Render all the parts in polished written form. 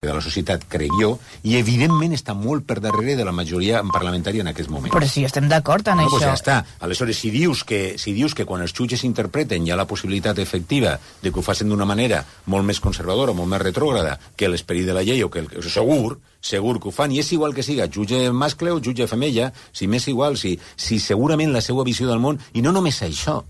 de la societat, crec jo, i evidentment està molt per darrere de la majoria parlamentària en aquest moment. Però sí, estem d'acord en això. Pues ja està. Aleshores, si dius que quan els jutges interpreten hi ha la possibilitat efectiva de que ho facin d'una manera molt més conservadora, molt més retrògrada que l'esperit de la llei, o que segur que ho fan, i és igual que siga jutge mascle o jutge femella, si m'és igual, si segurament la seva visió del món, i no només això,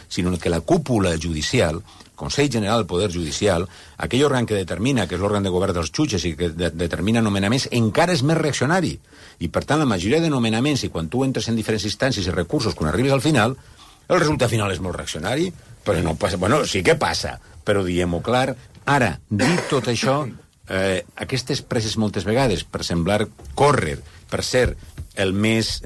sinó que la cúpula judicial, Consell General del Poder Judicial, aquell òrgan que determina, que és l'òrgan de govern dels jutges i que determina nomenaments, encara és més reaccionari. I, per tant, la majoria de nomenaments, i quan tu entres en diferents instàncies i recursos, quan arribes al final, el resultat final és molt reaccionari, però no passa... Bueno, sí que passa, però diguem-ho clar. Ara, dit tot això, aquestes presses moltes vegades, per semblar córrer, per ser el més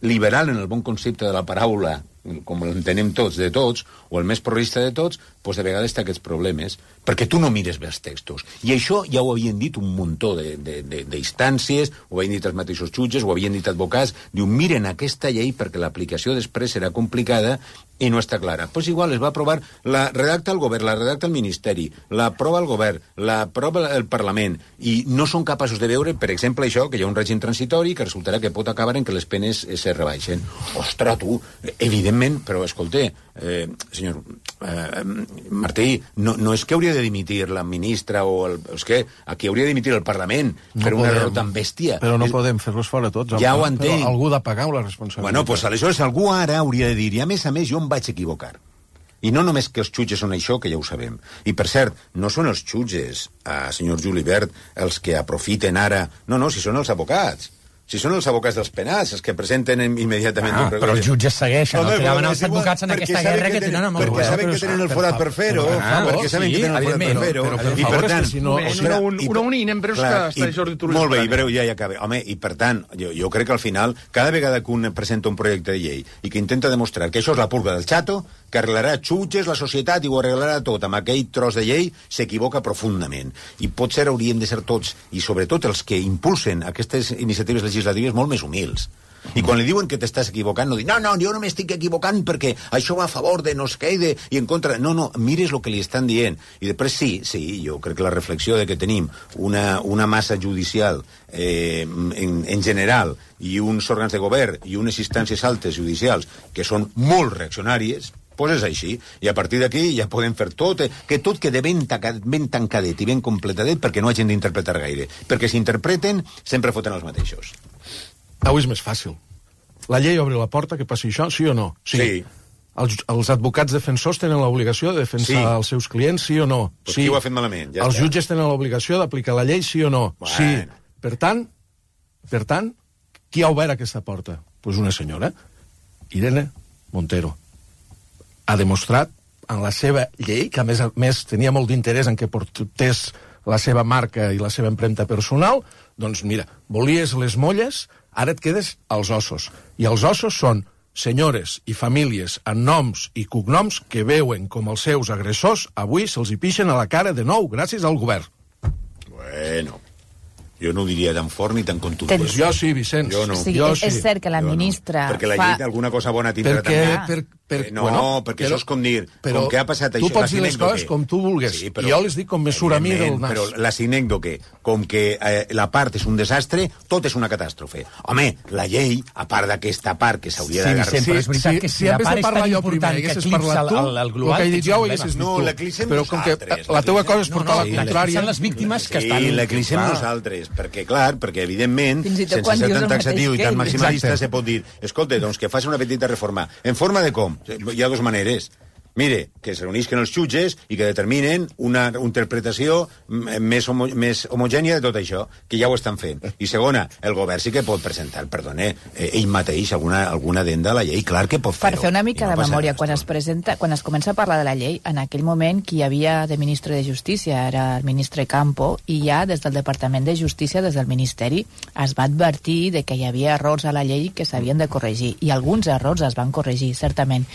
liberal en el bon concepte de la paraula, com l'entenem tots, de tots, o el més progressista de tots, doncs de vegades té aquests problemes, perquè tu no mires bé els textos. I això ja ho havien dit un muntó d'instàncies, ho havien dit els mateixos jutges, ho havien dit advocats, diu, miren aquesta llei perquè l'aplicació després serà complicada i no està clara. Doncs igual es va aprovar, la redacta el govern, la redacta el Ministeri, l'aprova el govern, l'aprova el Parlament, i no són capaços de veure, per exemple, això, que hi ha un règim transitori que resultarà que pot acabar en que les penes se rebaixen. Ostres, tu, evidentment, però escolta, senyor Martí, no és que hauria de dimitir la ministra és que aquí hauria de dimitir el Parlament per un error tan bèstia. Però no podem fer-los fora tots. Ja ho entenc. Però algú ha de pagar la responsabilitat. Bueno, doncs aleshores algú ara hauria de dir, i a més jo em vaig equivocar. I no només que els jutges són això, que ja ho sabem. I, per cert, no són els jutges, senyor Julibert, els que aprofiten ara... No, si són els advocats. Si són els advocats dels penals, els que presenten immediatament... Però els jutges segueixen, el que anaven els advocats en aquesta guerra que tenen amb el govern. Perquè saben que tenen el forat per fer-ho, perquè saben que tenen el forat per fer-ho, i per tant... Una única empresa que està Jordi Turull. Molt bé, i breu, ja acaba. Home, i per tant, jo crec que al final, cada vegada que un presenta un projecte de llei i que intenta demostrar que això és la purga del xato, que arreglarà jutges, la societat, i ho arreglarà tot amb aquell tros de llei, s'equivoca profundament. I potser hauríem de ser tots, i sobretot els que impulsen aquestes iniciatives legislatives, molt més humils. I quan li diuen que t'estàs equivocant, no dic, no, jo no m'estic equivocant perquè això va a favor de no sé què i en contra... No, mires el que li estan dient. I després sí, jo crec que la reflexió de que tenim una massa judicial en general i uns òrgans de govern i unes instàncies altes judicials que són molt reaccionàries, doncs és així. I a partir d'aquí ja podem fer tot, que tot quede ben tancadet i ben completadet perquè no hagin d'interpretar gaire. Perquè si interpreten, sempre foten els mateixos. Avui és més fàcil. La llei obre la porta que passi això, sí o no? Sí. Els advocats defensors tenen l'obligació de defensar els seus clients, sí o no? Pues sí. Qui ho ha fet malament? Ja els jutges tenen l'obligació d'aplicar la llei, sí o no? Bueno. Sí. Per tant, qui ha obert aquesta porta? Doncs una senyora, Irene Montero. Ha demostrat en la seva llei, que a més tenia molt d'interès en que portés la seva marca i la seva empremta personal, doncs mira, volies les molles, ara et quedes als ossos. I els ossos són senyores i famílies amb noms i cognoms que veuen com els seus agressors avui se'ls hi pixen a la cara de nou gràcies al govern. Bueno... Jo no ho diria tan fort ni tan contundent. Pues jo sí, Vicenç. Jo no. Sí, és cert que la ministra... Perquè la llei d'alguna cosa bona tindrà també. Perquè això és com dir, com que ha passat això... Tu pots dir les coses com tu vulgues. Sí, i jo les dic com me surt a mi del nas. Però la sinècdoque, com que la part és un desastre, tot és una catàstrofe. Home, la llei, a part d'aquesta part que s'hauria d'agarrar... Sí, però és veritat que si la part és tan important que eclipsa el global... El que he dit jo ho haguessis dit tu. No, l'eclipsem nosaltres. Però com que la teua cosa és portar la contrària... Són les víctimes que estan... Sí, l'eclipsem nosaltres. Perquè, clar, evidentment, sense ser tan taxatiu i tan maximalista, se pot dir, escolta, doncs que faci una petita reforma. En forma de com? Hi ha dues maneres. Mire, que es reunisquen els jutges i que determinen una interpretació més homogènia de tot això, que ja ho estan fent. I segona, el govern sí que pot presentar, ell mateix alguna addenda a la llei, clar que pot fer-ho. Per fer una mica de memòria, quan es comença a parlar de la llei, en aquell moment qui hi havia de ministre de Justícia era el ministre Campo, i ja des del Departament de Justícia, des del Ministeri, es va advertir de que hi havia errors a la llei que s'havien de corregir, i alguns errors es van corregir, certament.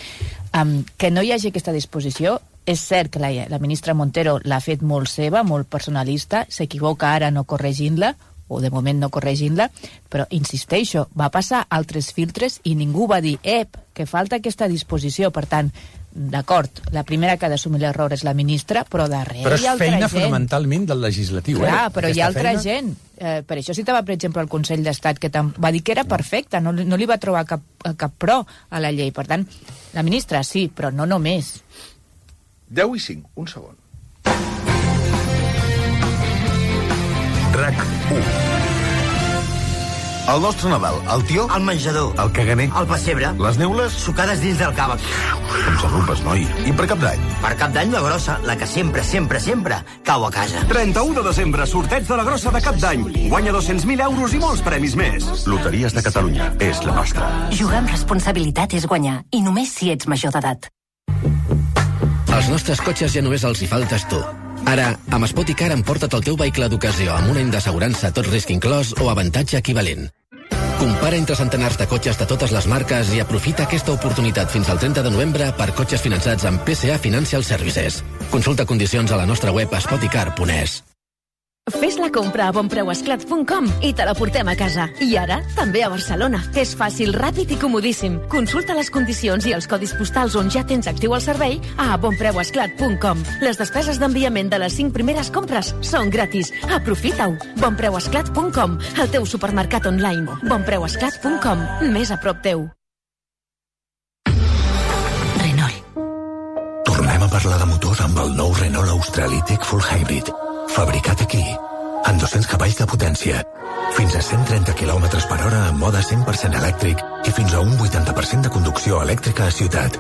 Que no hi hagi aquesta disposició, és cert que la ministra Montero l'ha fet molt seva, molt personalista, s'equivoca ara no corregint-la, o de moment no corregint-la, però insisteixo, va passar altres filtres i ningú va dir, que falta aquesta disposició. Per tant, d'acord, la primera que ha d'assumir l'error és la ministra, però darrere però hi ha altra gent. Però és feina fonamentalment del legislatiu. Clar, però hi ha altra gent. Per això citava, per exemple, el Consell d'Estat, que va dir que era perfecta, no li va trobar cap pro a la llei. Per tant, la ministra sí, però no només. 10 i 5, un segon. RAC 1. El nostre Nadal, el tió, el menjador, el caganer, el pessebre, les neules, sucades dins del cava. com s'arrupes, noi. I per Cap d'Any? Per Cap d'Any la grossa, la que sempre, sempre, sempre cau a casa. 31 de desembre, sorteig de la grossa de Cap d'Any. Guanya 200.000 euros i molts premis més. Loteries de Catalunya, és la nostra. Jugar amb responsabilitat és guanyar, i només si ets major d'edat. Als nostres cotxes ja només els hi faltes tu. Ara, amb Spoticar emporta't el teu vehicle d'ocasió amb un any d'assegurança tot risc inclòs o avantatge equivalent. Compara entre centenars de cotxes de totes les marques i aprofita aquesta oportunitat fins al 30 de novembre per cotxes finançats amb PSA Financial Services. Consulta condicions a la nostra web spoticar.es. Fes la compra a bonpreuesclat.com i te la portem a casa. I ara, també a Barcelona. És fàcil, ràpid i comodíssim. Consulta les condicions i els codis postals on ja tens actiu el servei a bonpreuesclat.com. Les despeses d'enviament de les 5 primeres compres són gratis. Aprofita-ho. bonpreuesclat.com, el teu supermercat online. bonpreuesclat.com, més a prop teu. Renault. Tornem a parlar de motors amb el nou Renault Australi Tech Full Hybrid. Fabricat aquí, amb 200 cavalls de potència, fins a 130 km per hora en mode 100% elèctric i fins a un 80% de conducció elèctrica a ciutat.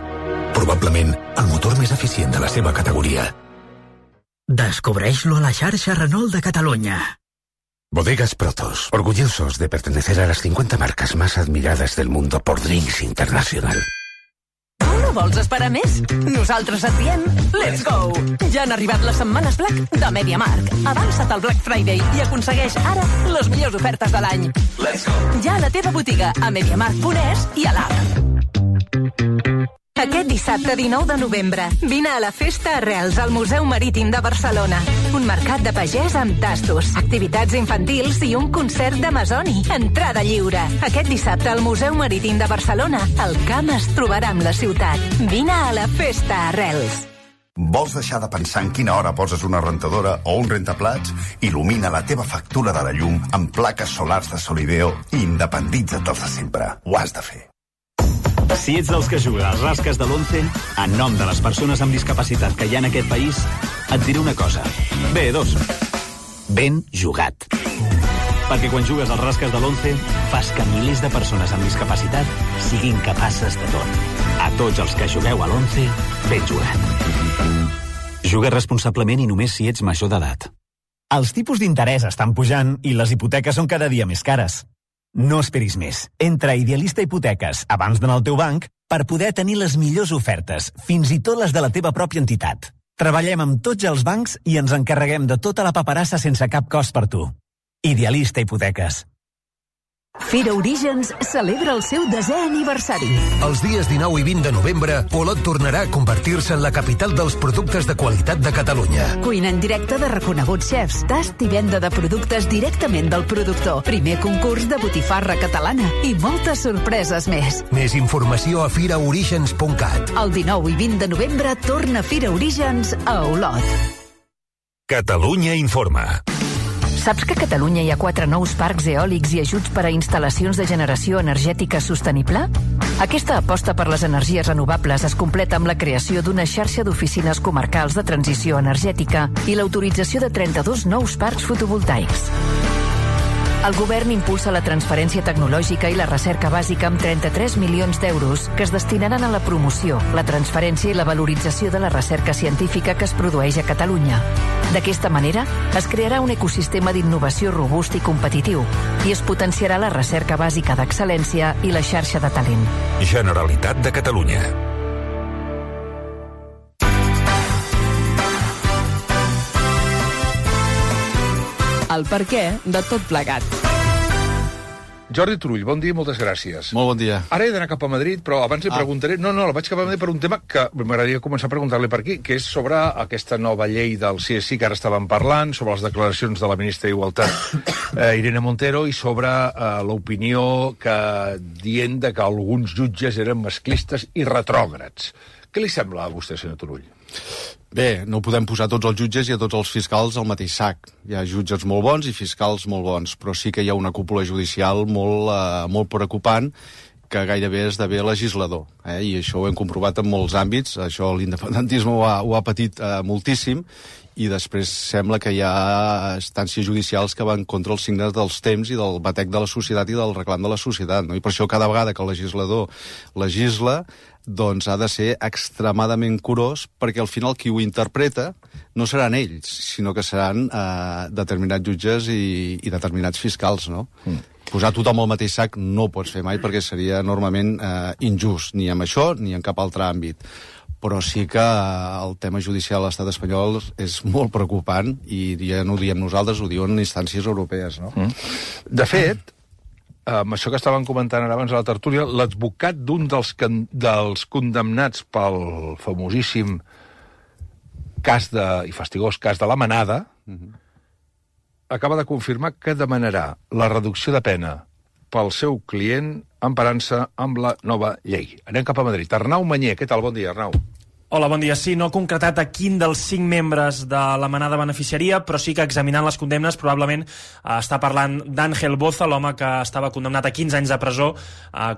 Probablement el motor més eficient de la seva categoria. Descobreix-lo a la xarxa Renault de Catalunya. Bodegas Protos, orgullosos de pertenecer a las 50 marcas más admiradas del mundo por Drinks International. No vols esperar més? Nosaltres et diem let's go! Ja han arribat les setmanes Black de MediaMarkt. Avança't al Black Friday i aconsegueix ara les millors ofertes de l'any. Let's go! Ja a la teva botiga, a MediaMarkt.es i a l'app. Aquest dissabte 19 de novembre, vine a la Festa Arrels al Museu Marítim de Barcelona. Un mercat de pagès amb tastos, activitats infantils i un concert d'Amazoni. Entrada lliure. Aquest dissabte al Museu Marítim de Barcelona, el camp es trobarà amb la ciutat. Vine a la Festa Arrels. Vols deixar de pensar en quina hora poses una rentadora o un rentaplats? Il·lumina la teva factura de la llum amb plaques solars de Solideo i independitza't dels de sempre. Ho has de fer. Si ets dels que juga als rasques de l'11, en nom de les persones amb discapacitat que hi ha en aquest país, et diré una cosa. Bé, dos. Ben jugat. Perquè quan jugues als rasques de l'11, fas que milers de persones amb discapacitat siguin capaces de tot. A tots els que jugueu a l'11, ben jugat. Juga responsablement i només si ets major d'edat. Els tipus d'interès estan pujant i les hipoteques són cada dia més cares. No esperis més. Entra a Idealista Hipoteques abans d'anar al teu banc per poder tenir les millors ofertes, fins i tot les de la teva pròpia entitat. Treballem amb tots els bancs i ens encarreguem de tota la paperassa sense cap cost per tu. Idealista Hipoteques. Fira Orígens celebra el seu 10è aniversari. Els dies 19 i 20 de novembre, Polot tornarà a convertir-se en la capital dels productes de qualitat de Catalunya. Cuina en directe de reconeguts xefs, tast i venda de productes directament del productor, primer concurs de botifarra catalana i moltes sorpreses més. Més informació a firaorígens.cat. El 19 i 20 de novembre torna Fira Orígens a Olot. Catalunya informa. Saps que a Catalunya hi ha 4 nous parcs eòlics i ajuts per a instal·lacions de generació energètica sostenible? Aquesta aposta per les energies renovables es completa amb la creació d'una xarxa d'oficines comarcals de transició energètica i l'autorització de 32 nous parcs fotovoltaics. El govern impulsa la transferència tecnològica i la recerca bàsica amb 33 milions d'euros que es destinaran a la promoció, la transferència i la valorització de la recerca científica que es produeix a Catalunya. D'aquesta manera, es crearà un ecosistema d'innovació robust i competitiu i es potenciarà la recerca bàsica d'excel·lència i la xarxa de talent. Generalitat de Catalunya. El perquè de tot plegat. Jordi Turull, bon dia i moltes gràcies. Molt bon dia. Ara he d'anar cap a Madrid, però abans li preguntaré... No, la vaig cap a Madrid per un tema que m'agradaria començar a preguntar-li per aquí, que és sobre aquesta nova llei del CSI que ara estàvem parlant, sobre les declaracions de la ministra d'Igualtat, Irene Montero, i sobre l'opinió dient que alguns jutges eren masclistes i retrògrads, Què li sembla a vostè, senyor Turull? Bé, no podem posar tots els jutges i a tots els fiscals al mateix sac. Hi ha jutges molt bons i fiscals molt bons, però sí que hi ha una cúpula judicial molt preocupant que gairebé és d'haver legislador. I això ho hem comprovat en molts àmbits. Això l'independentisme ho ha patit moltíssim, i després sembla que hi ha instàncies judicials que van contra els signes dels temps i del batec de la societat i del reclam de la societat, no? I per això cada vegada que el legislador legisla, doncs ha de ser extremadament curós, perquè al final qui ho interpreta no seran ells, sinó que seran determinats jutges i determinats fiscals, no? Posar tothom al mateix sac no ho pots fer mai, perquè seria enormement injust, ni amb això ni en cap altre àmbit. Però sí que el tema judicial a l'estat espanyol és molt preocupant, i ja no ho diem nosaltres, ho diuen instàncies europees, no? De fet, amb això que estàvem comentant ara abans a la tertúlia, l'advocat d'un dels condemnats pel famosíssim i fastigós cas de la Manada acaba de confirmar que demanarà la reducció de pena pel seu client emparant-se amb la nova llei. Anem cap a Madrid. Arnau Mañé, què tal? Bon dia, Arnau. Hola, bon dia. Sí, no ha concretat a quin dels 5 membres de la Manada beneficiaria, però sí que examinant les condemnes probablement està parlant d'Àngel Boza, l'home que estava condemnat a 15 anys de presó,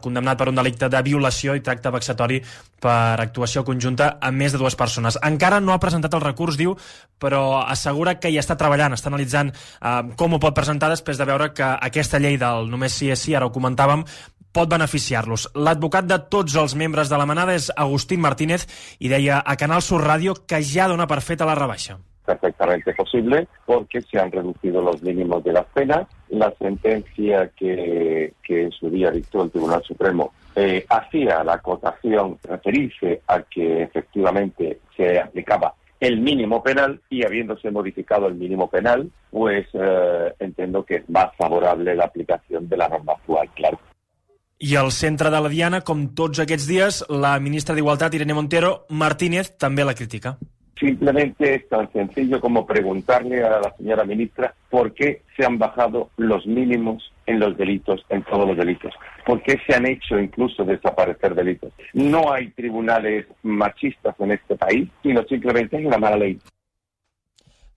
condemnat per un delicte de violació i tracte vexatori per actuació conjunta amb més de 2 persones. Encara no ha presentat el recurs, diu, però assegura que hi està treballant, està analitzant com ho pot presentar després de veure que aquesta llei del només sí és sí, ara ho comentàvem, pot beneficiar-los. L'advocat de tots els membres de la Manada és Agustín Martínez i deia a Canal Sur Radio que ja dona per feta la rebaixa. Perfectamente posible, porque se han reducido los mínimos de las penas. La sentencia que en su día dictó el Tribunal Supremo hacía la acotación, referirse a que efectivamente se aplicaba el mínimo penal, y habiéndose modificado el mínimo penal, pues entiendo que es más favorable la aplicación de la norma actual, claro. I al centre de la diana, com tots aquests dies, la ministra d'Igualtat, Irene Montero, Martínez, també la critica. Simplemente es tan sencillo como preguntarle a la señora ministra por qué se han bajado los mínimos en los delitos, en todos los delitos. ¿Por qué se han hecho incluso desaparecer delitos? No hay tribunales machistas en este país, sino simplemente es una mala ley.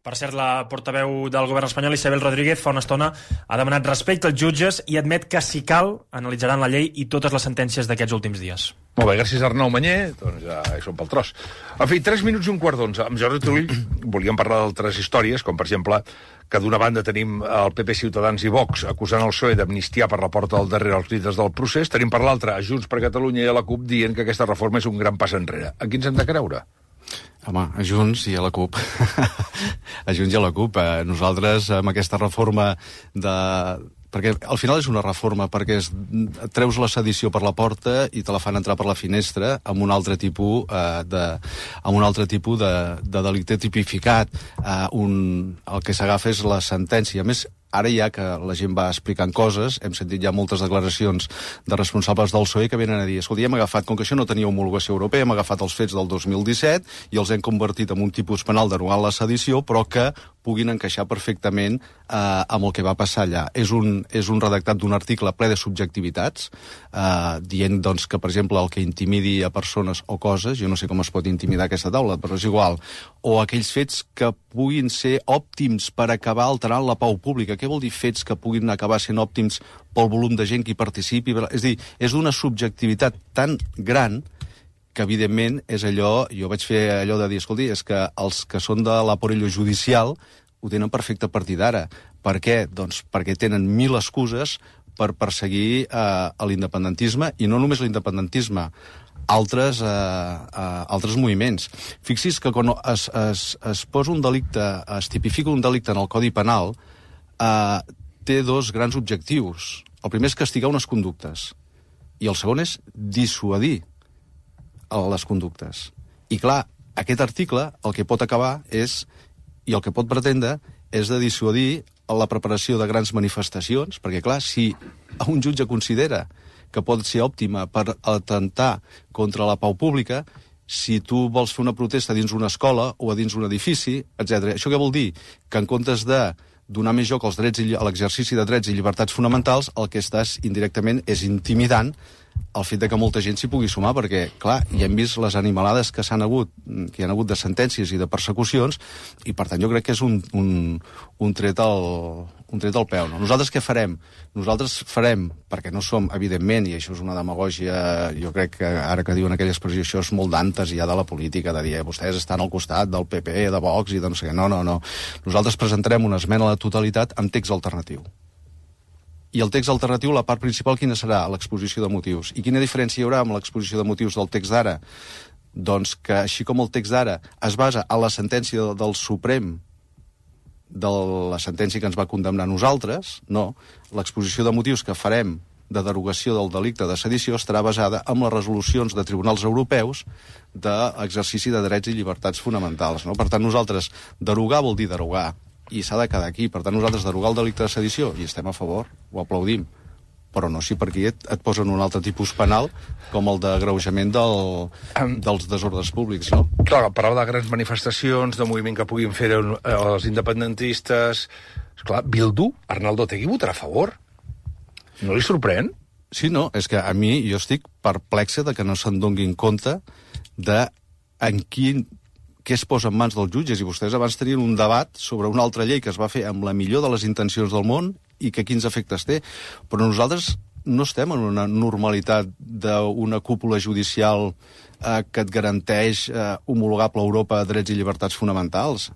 Per cert, la portaveu del govern espanyol, Isabel Rodríguez, fa una estona ha demanat respecte als jutges i admet que, si cal, analitzaran la llei i totes les sentències d'aquests últims dies. Molt bé, gràcies Arnau Mañé, doncs ja hi som pel tros. En fi, 3 minuts i 1:15. Amb Jordi Turull volíem parlar d'altres històries, com per exemple que d'una banda tenim el PP, Ciutadans i Vox acusant el PSOE d'amnistiar per la porta del darrere els líders del procés, tenim per l'altra a Junts per Catalunya i a la CUP dient que aquesta reforma és un gran pas enrere. A qui ens hem de creure? Home, a Junts i a la CUP. A Junts i a la CUP. Nosaltres, amb aquesta reforma perquè al final és una reforma, perquè treus la sedició per la porta i te la fan entrar per la finestra amb un altre tipus de delicte tipificat. El que s'agafa és la sentència. A més, ara ja que la gent va explicant coses, hem sentit ja moltes declaracions de responsables del PSOE que venen a dir, escolta, hem agafat, com que això no tenia homologació europea, hem agafat els fets del 2017 i els hem convertit en un tipus penal derogant la sedició, però que puguin encaixar perfectament amb el que va passar allà. És un redactat d'un article ple de subjectivitats, dient doncs, que, per exemple, el que intimidi a persones o coses, jo no sé com es pot intimidar aquesta taula, però és igual, o aquells fets que puguin ser òptims per acabar alterant la pau pública. Què vol dir fets que puguin acabar sent òptims pel volum de gent que hi participi? És a dir, és d'una subjectivitat tan gran que, evidentment, és allò... Jo vaig fer allò de dir, escolti, és que els que són de l'aparello judicial ho tenen perfecte a partir d'ara. Per què? Doncs perquè tenen 1000 excuses per perseguir l'independentisme, i no només l'independentisme, altres moviments. Fixi's que quan es posa un delicte, es tipifica un delicte en el Codi Penal, té 2 grans objectius. El primer és castigar unes conductes, i el segon és dissuadir les conductes. I clar, aquest article el que pot acabar és, i el que pot pretendre, és de dissuadir la preparació de grans manifestacions, perquè clar, si un jutge considera que pot ser òptima per atentar contra la pau pública, si tu vols fer una protesta dins una escola o a dins un edifici, etc. Això què vol dir? Que en comptes de donar més joc als drets a l'exercici de drets i llibertats fonamentals, el que estàs indirectament és intimidant el fet de que molta gent s'hi pugui sumar, perquè, clar, ja hem vist les animalades que hi han hagut de sentències i de persecucions, i per tant jo crec que és un tret al peu. No? Nosaltres què farem? Nosaltres farem, perquè no som, evidentment, i això és una demagògia, jo crec que ara que diuen aquella expressió, això és molt d'antes ja de la política, de dir, vostès estan al costat del PP, de Vox, i de no sé què. No. Nosaltres presentarem una esmena a la totalitat amb text alternatiu. I el text alternatiu, la part principal, quina serà? L'exposició de motius. I quina diferència hi haurà amb l'exposició de motius del text d'ara? Doncs que, així com el text d'ara es basa en la sentència del Suprem, de la sentència que ens va condemnar a nosaltres, no. L'exposició de motius que farem de derogació del delicte de sedició estarà basada en les resolucions de tribunals europeus d'exercici de drets i llibertats fonamentals. No? Per tant, nosaltres, derogar vol dir derogar, i s'ha de quedar aquí. Per tant, nosaltres derogar el delicte de sedició, i estem a favor, ho aplaudim, però no si per aquí et posen un altre tipus penal com el d'agreujament dels desordres públics, no? Clar, parlava de grans manifestacions, de moviment que puguin fer els independentistes. Esclar, Bildu, Arnaldo Otegi votarà a favor? No li sorprèn? Sí, no, és que a mi jo estic perplexa de que no se'n donguin compte de què es posa en mans dels jutges, i vostès abans tenien un debat sobre una altra llei que es va fer amb la millor de les intencions del món i que quins efectes té, però nosaltres no estem en una normalitat d'una cúpula judicial que et garanteix homologable a Europa drets i llibertats fonamentals.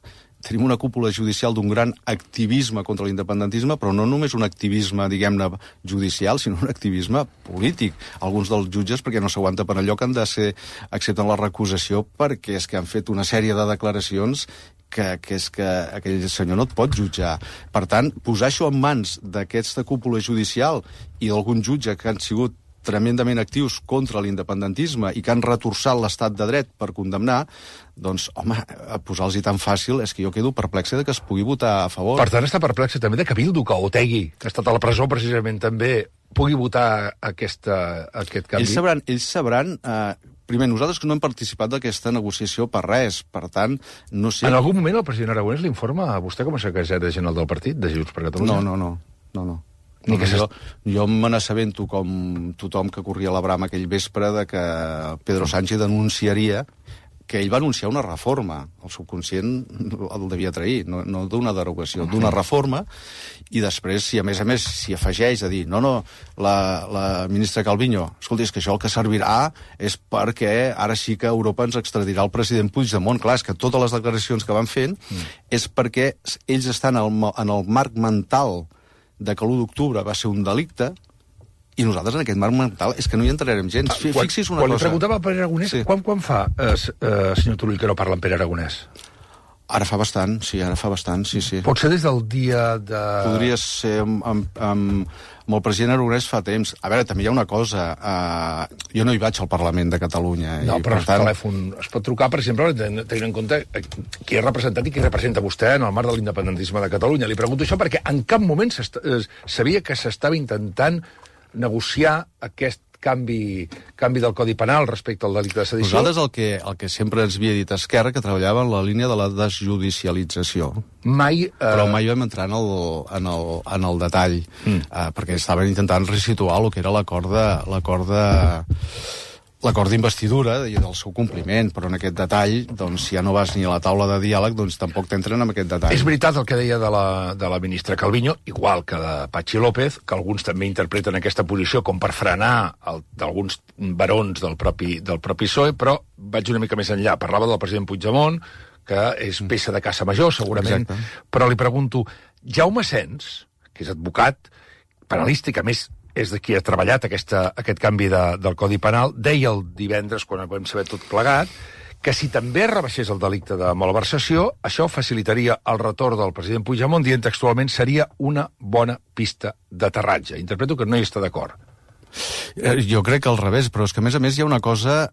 Tenim una cúpula judicial d'un gran activisme contra l'independentisme, però no només un activisme, diguem-ne, judicial, sinó un activisme polític. Alguns dels jutges, perquè no s'aguanta per allò, que han de ser, accepten la recusació perquè és que han fet una sèrie de declaracions que és que aquell senyor no et pot jutjar. Per tant, posar això en mans d'aquesta cúpula judicial i d'algun jutge que han sigut tremendament actius contra l'independentisme i que han retorçat l'estat de dret per condemnar, doncs, home, posar-los-hi tan fàcil és que jo quedo perplexa de que es pugui votar a favor. Per tant, està perplexa també de que Bildu, que Otegi, que ha estat a la presó precisament també, pugui votar aquest canvi. Ells sabran primer, nosaltres que no hem participat d'aquesta negociació per res, per tant, no sé... En algun moment el president Aragonès l'informa a vostè com a secretari general del partit, de Junts per Catalunya? No. Jo me n'assabento com tothom que corria la brama aquell vespre de que Pedro Sánchez denunciaria que ell va anunciar una reforma. El subconscient el devia trair, no d'una derogació, d'una reforma, i després, si a més s'hi afegeix a dir la ministra Calviño, escolti, és que això el que servirà és perquè ara sí que Europa ens extradirà el president Puigdemont. Clar, és que totes les declaracions que van fent és perquè ells estan en el marc mental de que l'1 d'octubre va ser un delicte, i nosaltres en aquest marc mental és que no hi entrarem gens. Fixi's una cosa... Quan li preguntava a Pere Aragonès, quan fa, senyor Turull, que no parla amb Pere Aragonès? Ara fa bastant, sí. Pot ser des del dia de... Podria ser amb el president Aragonès fa temps. A veure, també hi ha una cosa. Jo no hi vaig al Parlament de Catalunya. No, però el telèfon es pot trucar, per exemple, tenint en compte qui és representat i qui representa vostè en el marc de l'independentisme de Catalunya. Li pregunto això perquè en cap moment sabia que s'estava intentant negociar aquest canvi del Codi Penal respecte al delicte de sedició. Nosaltres el que sempre ens havia dit Esquerra, que treballava en la línia de la desjudicialització. Però mai vam entrar en el detall, perquè estaven intentant resituar el que era l'acord d'investidura i del seu compliment, però en aquest detall, doncs, si ja no vas ni a la taula de diàleg, doncs tampoc t'entren en aquest detall. És veritat el que deia de la ministra Calviño, igual que de Patxi López, que alguns també interpreten aquesta posició com per frenar d'alguns barons del propi PSOE, però vaig una mica més enllà. Parlava del president Puigdemont, que és peça de caça major, segurament, però li pregunto, Jaume Sens, que és advocat, penalista, que a més és de qui ha treballat aquest canvi del Codi Penal, deia el divendres, quan vam saber tot plegat, que si també rebaixés el delicte de malversació, això facilitaria el retorn del president Puigdemont, dient textualment seria una bona pista d'aterratge. Interpreto que no hi està d'acord. Jo crec que al revés, però és que a més hi ha una cosa,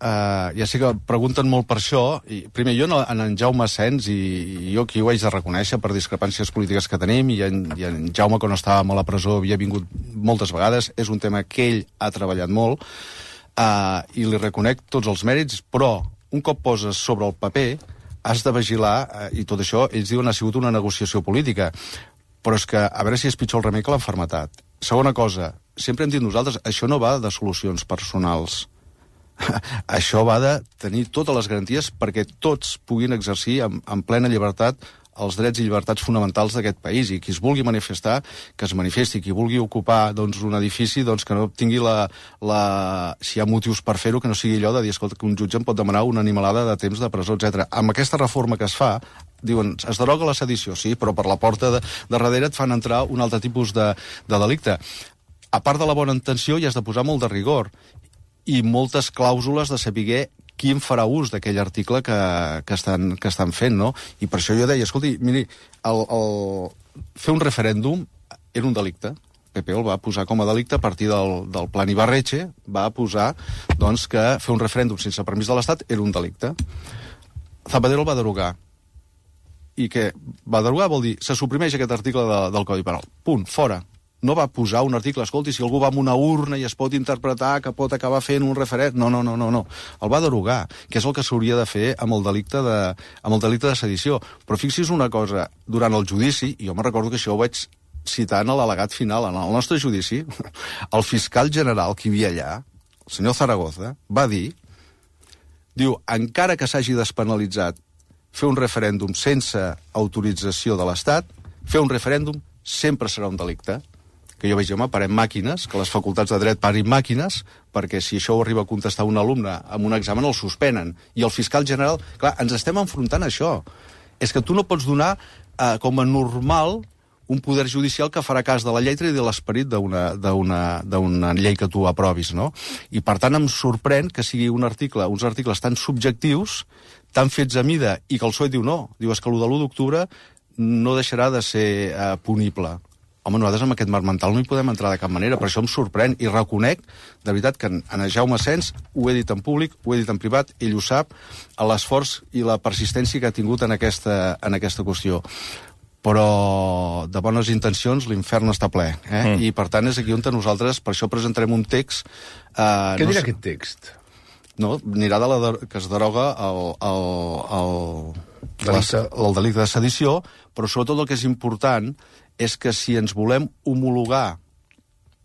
ja sé que pregunten molt per això, i primer jo en Jaume Sens, i jo aquí ho haig de reconèixer per discrepàncies polítiques que tenim, i en Jaume quan estàvem a la presó havia vingut moltes vegades, és un tema que ell ha treballat molt, i li reconec tots els mèrits, però un cop poses sobre el paper has de vigilar, i tot això ells diuen ha sigut una negociació política, però és que a veure si és pitjor el remei que l'enfermetat. Segona cosa, sempre hem dit nosaltres, això no va de solucions personals. Això va de tenir totes les garanties perquè tots puguin exercir en plena llibertat els drets i llibertats fonamentals d'aquest país, i qui es vulgui manifestar, que es manifesti, qui vulgui ocupar un edifici, que no tingui si hi ha motius per fer-ho, que no sigui allò de dir, escolta, que un jutge em pot demanar una animalada de temps de presó, etc. Amb aquesta reforma que es fa, diuen, es deroga la sedició, sí, però per la porta de darrere et fan entrar un altre tipus de delicte. A part de la bona intenció, hi has de posar molt de rigor i moltes clàusules de saber qui en farà ús d'aquell article que estan fent, no? I per això jo deia, escolti, miri, fer un referèndum era un delicte. PP el va posar com a delicte a partir del Plan Ibarretxe, va posar que fer un referèndum sense permís de l'Estat era un delicte. Zapatero el va derogar. I què? Va derogar vol dir, se suprimeix aquest article del Codi Penal. Punt, fora. No va posar un article, escolti, si algú va amb una urna i es pot interpretar que pot acabar fent un referèndum... No. El va derogar, que és el que s'hauria de fer amb el delicte de sedició. Però fixi's una cosa, durant el judici, i jo me'n recordo que això ho vaig citant a l'al·legat final, en el nostre judici, el fiscal general que hi havia allà, el senyor Zaragoza, va dir, encara que s'hagi despenalitzat fer un referèndum sense autorització de l'Estat, fer un referèndum sempre serà un delicte. Que jo veig, parem màquines, que les facultats de dret parin màquines, perquè si això ho arriba a contestar un alumne amb un examen el suspenen. I el fiscal general... Clar, ens estem enfrontant a això. És que tu no pots donar com a normal un poder judicial que farà cas de la lletra i de l'esperit d'una llei que tu aprovis, no? I per tant em sorprèn que sigui uns articles tan subjectius, tan fets a mida, i que el PSOE diu no. Diu, és que l'1 d'octubre no deixarà de ser punible. Home, nosaltres amb aquest marc mental no hi podem entrar de cap manera, per això em sorprèn i reconec, de veritat, que en Jaume Asens ho he dit en públic, ho he dit en privat, ell ho sap, l'esforç i la persistència que ha tingut en aquesta qüestió. Però de bones intencions l'infern està ple, I per tant és aquí on nosaltres, per això presentarem un text... Què dirà aquest text? No, anirà que es deroga el delicte de sedició, però sobretot el que és important és que si ens volem homologar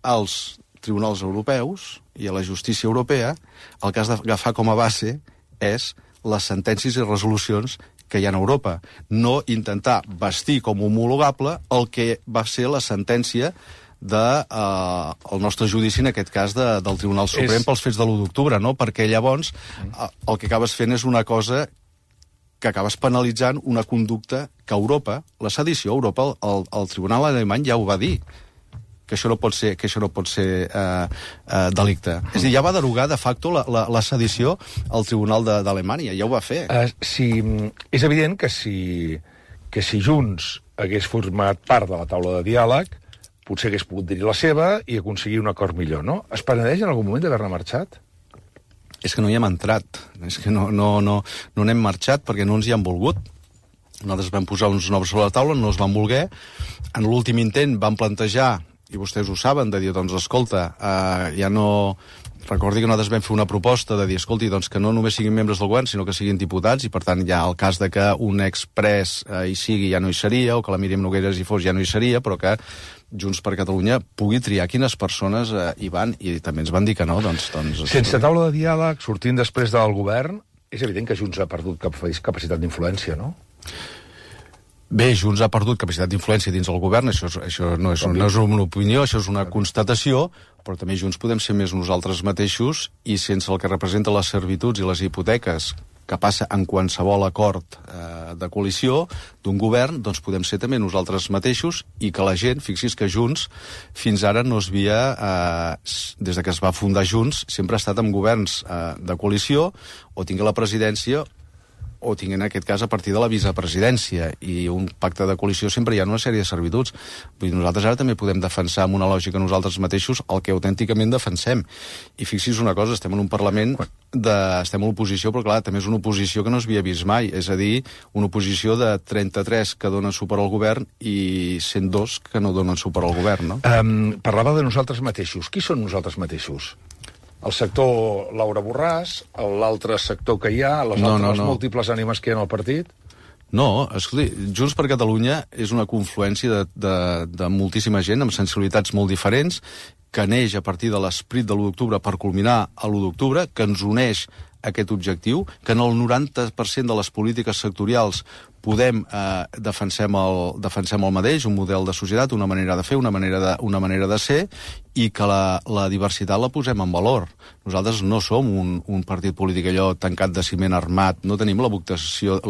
als tribunals europeus i a la justícia europea, el que has d'agafar com a base és les sentències i resolucions que hi ha a Europa. No intentar vestir com homologable el que va ser la sentència del nostre judici, en aquest cas del Tribunal Suprem pels fets de l'1 d'octubre, no? Perquè llavors el que acabes fent és una cosa que acabes penalitzant una conducta que Europa, la sedició, Europa, el Tribunal alemany ja ho va dir, que això no pot ser delicte. És a dir, ja va derogar de facto la sedició al Tribunal d'Alemanya, ja ho va fer. És evident que si Junts hagués format part de la taula de diàleg, potser hagués pogut dir la seva i aconseguir un acord millor, no? Es penedeix en algun moment d'haver-ne marxat? És que no hi hem entrat, és que no n'hem marxat perquè no ens hi han volgut. Nosaltres vam posar uns noms sobre la taula, no es van voler. En l'últim intent van plantejar, i vostès ho saben, de dir, doncs, escolta, ja no... Recordi que nosaltres vam fer una proposta de dir, escolti, doncs que no només siguin membres del govern, sinó que siguin diputats, i per tant ja el cas de que un expres hi sigui ja no hi seria, o que la Míriam Nogueras hi fos ja no hi seria, però que Junts per Catalunya pugui triar quines persones hi van, i també ens van dir que no, doncs... Sense taula de diàleg, sortint després del govern, és evident que Junts ha perdut capacitat d'influència, no? Bé, Junts ha perdut capacitat d'influència dins el govern, això no és una opinió, això és una constatació, però també Junts podem ser més nosaltres mateixos i sense el que representa les servituds i les hipoteques que passa en qualsevol acord de coalició d'un govern, doncs podem ser també nosaltres mateixos i que la gent, fixi's que Junts fins ara no es havia, des que es va fundar Junts, sempre ha estat en governs de coalició o tingué la presidència o tinguin, en aquest cas, a partir de la vicepresidència, i un pacte de coalició sempre hi ha una sèrie de servituds. Vull dir, nosaltres ara també podem defensar amb una lògica nosaltres mateixos el que autènticament defensem. I fixi's una cosa, estem en un Parlament, estem en l'oposició, però clar, també és una oposició que no s'havia vist mai, és a dir, una oposició de 33 que donen suport al govern i 102 que no donen suport al govern, no? Parlava de nosaltres mateixos. Qui són nosaltres mateixos? El sector Laura Borràs, l'altre sector que hi ha, les múltiples ànimes que hi ha en el partit? No, escolti, Junts per Catalunya és una confluència de moltíssima gent amb sensibilitats molt diferents, que neix a partir de l'esperit de l'1 d'octubre per culminar a l'1 d'octubre, que ens uneix aquest objectiu, que en el 90% de les polítiques sectorials defensem el mateix, un model de societat, una manera de fer, una manera de ser, i que la diversitat la posem en valor. Nosaltres no som un partit polític allò tancat de ciment armat, no tenim la vocació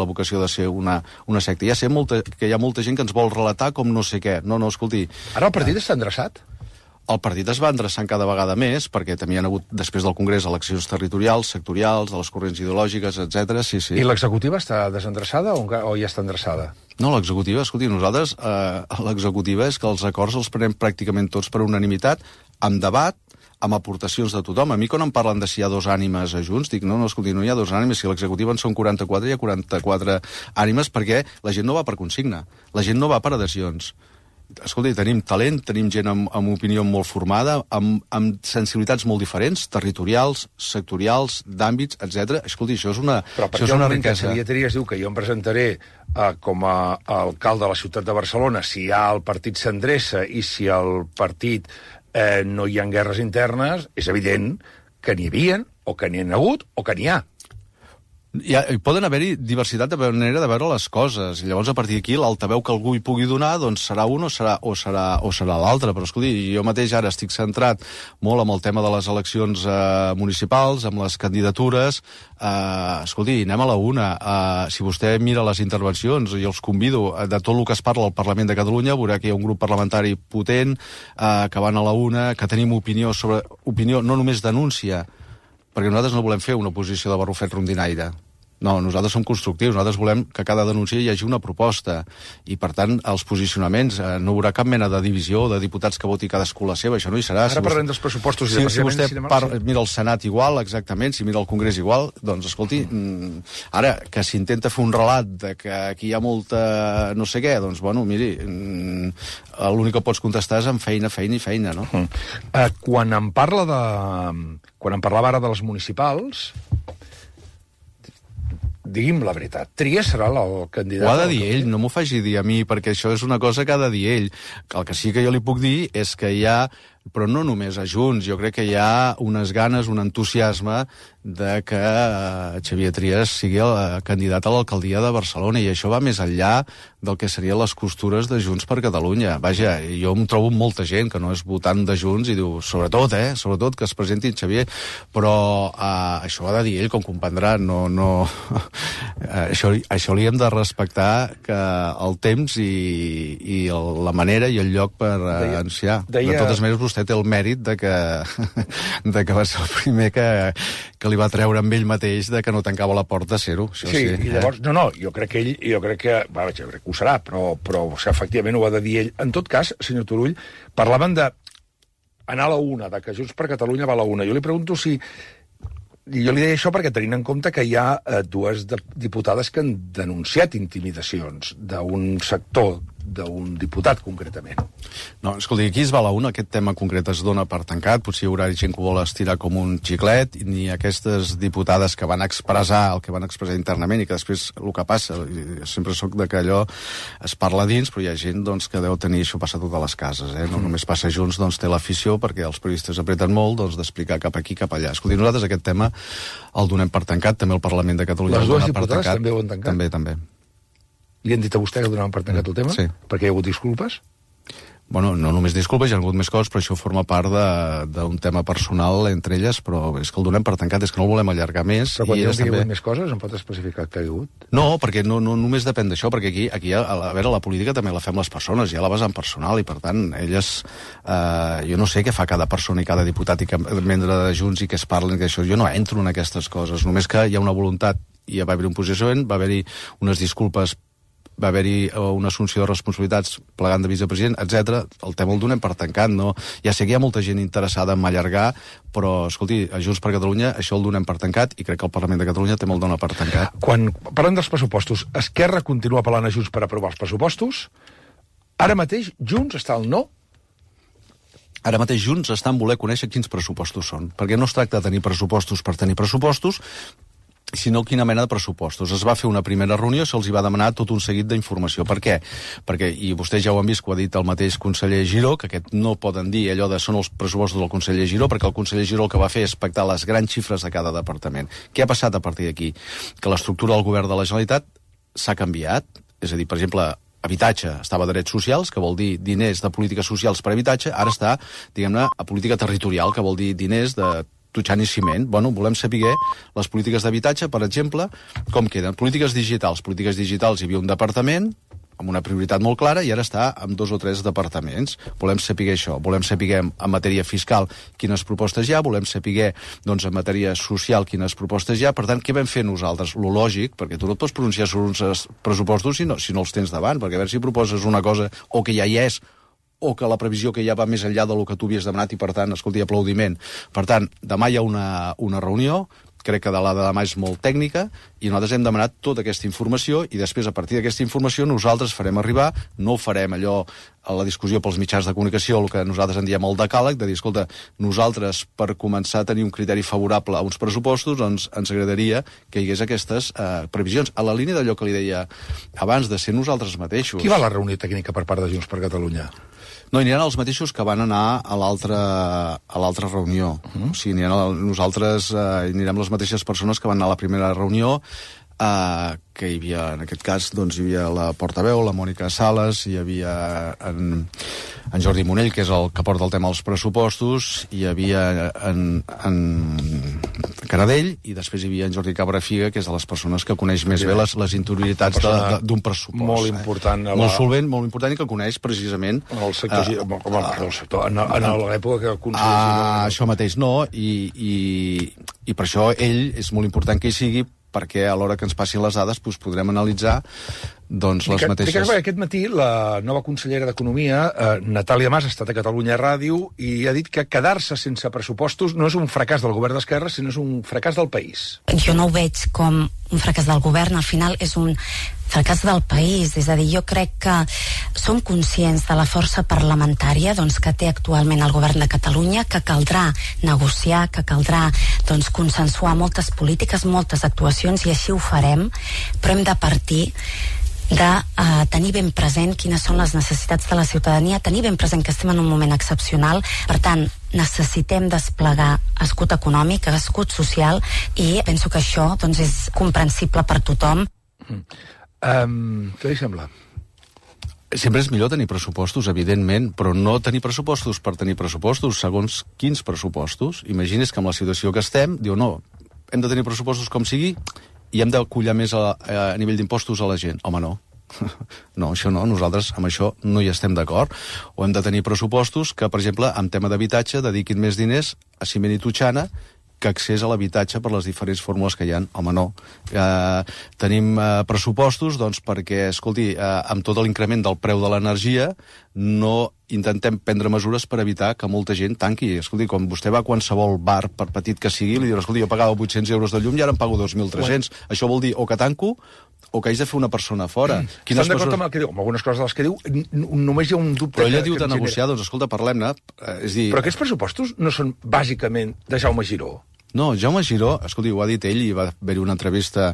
de ser una secta. Ja sé que hi ha molta gent que ens vol relatar com no sé què. No, escolti... Ara el partit està endreçat? El partit es va endreçant cada vegada més, perquè també hi ha hagut, després del Congrés, eleccions territorials, sectorials, de les corrents ideològiques, etc. Sí. I l'executiva està desendreçada o ja està endreçada? No, l'executiva, escolti, nosaltres, l'executiva és que els acords els prenem pràcticament tots per unanimitat, amb debat, amb aportacions de tothom. A mi, quan em parlen de si hi ha dos ànimes a Junts, dic, no, escolti, no hi ha dos ànimes, si l'executiva en són 44, hi ha 44 ànimes, perquè la gent no va per consigna, la gent no va per adhesions. Escolti, tenim talent, tenim gent amb opinió molt formada, amb sensibilitats molt diferents, territorials, sectorials, d'àmbits, etc. Escolti, això és una riquesa. Però per què el moment que Xavier Trias diu que jo em presentaré com a alcalde de la ciutat de Barcelona si ja el partit s'endreça i si el partit no hi ha guerres internes, és evident que n'hi havia, o que n'hi ha hagut, o que n'hi ha. Hi poden haver-hi diversitat de manera de veure les coses, i llavors a partir d'aquí l'altaveu que algú hi pugui donar doncs serà un o serà l'altre, però escolti, jo mateix ara estic centrat molt amb el tema de les eleccions municipals, amb les candidatures, escolti, anem a la una. Si vostè mira les intervencions, i els convido de tot el que es parla al Parlament de Catalunya, veurà que hi ha un grup parlamentari potent, que van a la una, que tenim opinió, no només denúncia, perquè nosaltres no volem fer una oposició de barrufet rondinaire. No, nosaltres som constructius, nosaltres volem que cada denúncia hi hagi una proposta, i per tant els posicionaments, no hi haurà cap mena de divisió de diputats que voti cadascú la seva, això no hi serà. Ara parlem dels pressupostos i si vostè mira el Senat igual, exactament, si mira el Congrés igual, doncs escolti, ara que s'intenta fer un relat de que aquí hi ha molta no sé què, doncs bueno, miri, l'únic que pots contestar és amb feina, no? Quan em parlava ara de les municipals, digui'm la veritat, Trias serà el candidat... Ho ha de dir ell, no m'ho faci dir a mi, perquè això és una cosa que ha de dir ell. El que sí que jo li puc dir és que hi ha, però no només a Junts, jo crec que hi ha unes ganes, un entusiasme de que Xavier Trias sigui el candidat a l'alcaldia de Barcelona, i això va més enllà del que serien les costures de Junts per Catalunya. Vaja, jo em trobo molta gent que no és votant de Junts i diu, sobretot que es presenti Xavier, però això ha de dir ell, com comprendrà, això li hem de respectar, que el temps i la manera i el lloc per anunciar. De totes maneres, vostè té el mèrit de que va ser el primer que li va treure amb ell mateix de que no tancava la porta a ser-ho. Sí, i llavors, jo crec que ho serà, però efectivament ho ha de dir ell. En tot cas, senyor Turull, parlaven d'anar a la una, de que Junts per Catalunya va a la una. Jo li pregunto si... Jo li deia això perquè tenint en compte que hi ha dues diputades que han denunciat intimidacions d'un sector, d'un diputat, concretament. No, escolti, aquí es va a la una, aquest tema concret es dona per tancat, potser hi haurà gent que ho vol estirar com un xiclet, ni aquestes diputades que van expressar el que van expressar internament, i que després el que passa, sempre soc de que allò es parla dins, però hi ha gent doncs, que deu tenir això passat a totes les cases, no només passa Junts, doncs té l'afició, perquè els periodistes apreten molt, doncs d'explicar cap aquí, cap allà. Escolti, nosaltres aquest tema el donem per tancat, també el Parlament de Catalunya el dona per tancat. Les dues diputades també ho han tancat? També. Li han dit a vostè que donaven per tancat el tema? Sí. Perquè hi ha hagut disculpes? Bueno, no només disculpes, hi ha hagut més coses, però això forma part d'un tema personal entre elles, però és que el donem per tancat, és que no el volem allargar més. Però quan diuen que hi ha hagut més coses, em pot especificar que hi ha hagut? No, perquè no només depèn d'això, perquè aquí a veure, la política també la fem les persones, hi ha la vessant personal, i per tant, elles... jo no sé què fa cada persona i cada diputat i cada membre de Junts i què es parlen, que això, jo no entro en aquestes coses, només que hi ha una voluntat, i va haver-hi un posicionament, va haver-hi unes disculpes, va haver-hi una assumpció de responsabilitats plegant de vicepresident, etc. El tema el donem per tancat, no? Ja sé que hi ha molta gent interessada en allargar, però, escolti, a Junts per Catalunya això el donem per tancat, i crec que el Parlament de Catalunya també el dona per tancat. Quan parlem dels pressupostos, Esquerra continua apel·lant a Junts per aprovar els pressupostos? Ara mateix Junts està al no? Ara mateix Junts està en voler conèixer quins pressupostos són, perquè no es tracta de tenir pressupostos per tenir pressupostos, sinó quina mena de pressupostos. Es va fer una primera reunió, se'ls va demanar tot un seguit d'informació. Per què? Perquè, i vostès ja ho han vist, que ho ha dit el mateix conseller Giró, que aquest no poden dir allò de són els pressupostos del conseller Giró, perquè el conseller Giró el que va fer és pactar les grans xifres de cada departament. Què ha passat a partir d'aquí? Que l'estructura del govern de la Generalitat s'ha canviat, és a dir, per exemple, habitatge estava a drets socials, que vol dir diners de polítiques socials per habitatge, ara està, diguem-ne, a política territorial, que vol dir diners de tutxant i ciment. Bueno, volem saber les polítiques d'habitatge, per exemple, com queden. Polítiques digitals. Polítiques digitals hi havia un departament amb una prioritat molt clara i ara està amb 2 o 3 departaments. Volem saber això. Volem saber en matèria fiscal quines propostes hi ha, volem saber doncs, en matèria social quines propostes hi ha. Per tant, què vam fer nosaltres? Lo lògic, perquè tu no et pots pronunciar sobre uns pressupostos si no els tens davant, perquè a veure si proposes una cosa o que ja hi és o que la previsió que ja va més enllà del que tu havies demanat i, per tant, escolti, aplaudiment. Per tant, demà hi ha una reunió, crec que la de demà és molt tècnica, i nosaltres hem demanat tota aquesta informació i després, a partir d'aquesta informació, nosaltres farem arribar, no ho farem allò a la discussió pels mitjans de comunicació, el que nosaltres en diem el decàleg, de dir, escolta, nosaltres, per començar a tenir un criteri favorable a uns pressupostos, doncs ens agradaria que hi hagués aquestes previsions. A la línia d'allò que li deia abans, de ser nosaltres mateixos. Qui va a la reunió tècnica per part de Junts per Catalunya? No, hi aniran els mateixos que van anar a l'altra reunió. O sigui, nosaltres hi anirem les mateixes persones que van anar a la primera reunió, que hi havia, en aquest cas, doncs, hi havia la portaveu, la Mònica Sales, hi havia en Jordi Monell, que és el que porta el tema dels pressupostos, hi havia en Caradell, i després hi havia en Jordi Cabrafiga, que és de les persones que coneix més bé les interioritats d'un pressupost. Molt important. Molt solvent, molt important, i que coneix precisament el sector, en l'època que el conseller... Això mateix, no, i per això ell és molt important que hi sigui, perquè a l'hora que ens passin les dades doncs podrem analitzar doncs, les mateixes... Aquest matí la nova consellera d'Economia, Natàlia Mas, ha estat a Catalunya Ràdio i ha dit que quedar-se sense pressupostos no és un fracàs del govern d'esquerra, sinó és un fracàs del país. Jo no ho veig com un fracàs del govern, al final és un fracàs del país, és a dir, jo crec que som conscients de la força parlamentària doncs, que té actualment el govern de Catalunya, que caldrà negociar, que caldrà doncs, consensuar moltes polítiques, moltes actuacions, i així ho farem, però hem de partir de tenir ben present quines són les necessitats de la ciutadania, tenir ben present que estem en un moment excepcional, per tant, necessitem desplegar escut econòmic, escut social, i penso que això doncs, és comprensible per tothom. Què li sembla? Sempre és millor tenir pressupostos, evidentment, però no tenir pressupostos per tenir pressupostos, segons quins pressupostos. Imagines que amb la situació que estem, diu, no, hem de tenir pressupostos com sigui i hem de collar més a nivell d'impostos a la gent. Home, no. No, això no, nosaltres amb això no hi estem d'acord. O hem de tenir pressupostos que, per exemple, en tema d'habitatge dediquin més diners a ciment i totxana que accés a l'habitatge per les diferents fórmules que hi ha. Home, no. Tenim pressupostos doncs, perquè, escolti, amb tot l'increment del preu de l'energia no intentem prendre mesures per evitar que molta gent tanqui. Escolti, quan vostè va a qualsevol bar, per petit que sigui, li diu, escolti, jo pagava 800 euros de llum i ara em pago 2.300. Això vol dir o que tanco o que haig de fer una persona fora. Estan d'acord amb el que diu? Amb algunes coses de les que diu, només hi ha un dubte... Però ella diu de negociar, doncs escolta, parlem-ne. Però aquests pressupostos no són bàsicament de Jaume Giró? No, Jaume Giró, escolti, ho ha dit ell, i va haver-hi una entrevista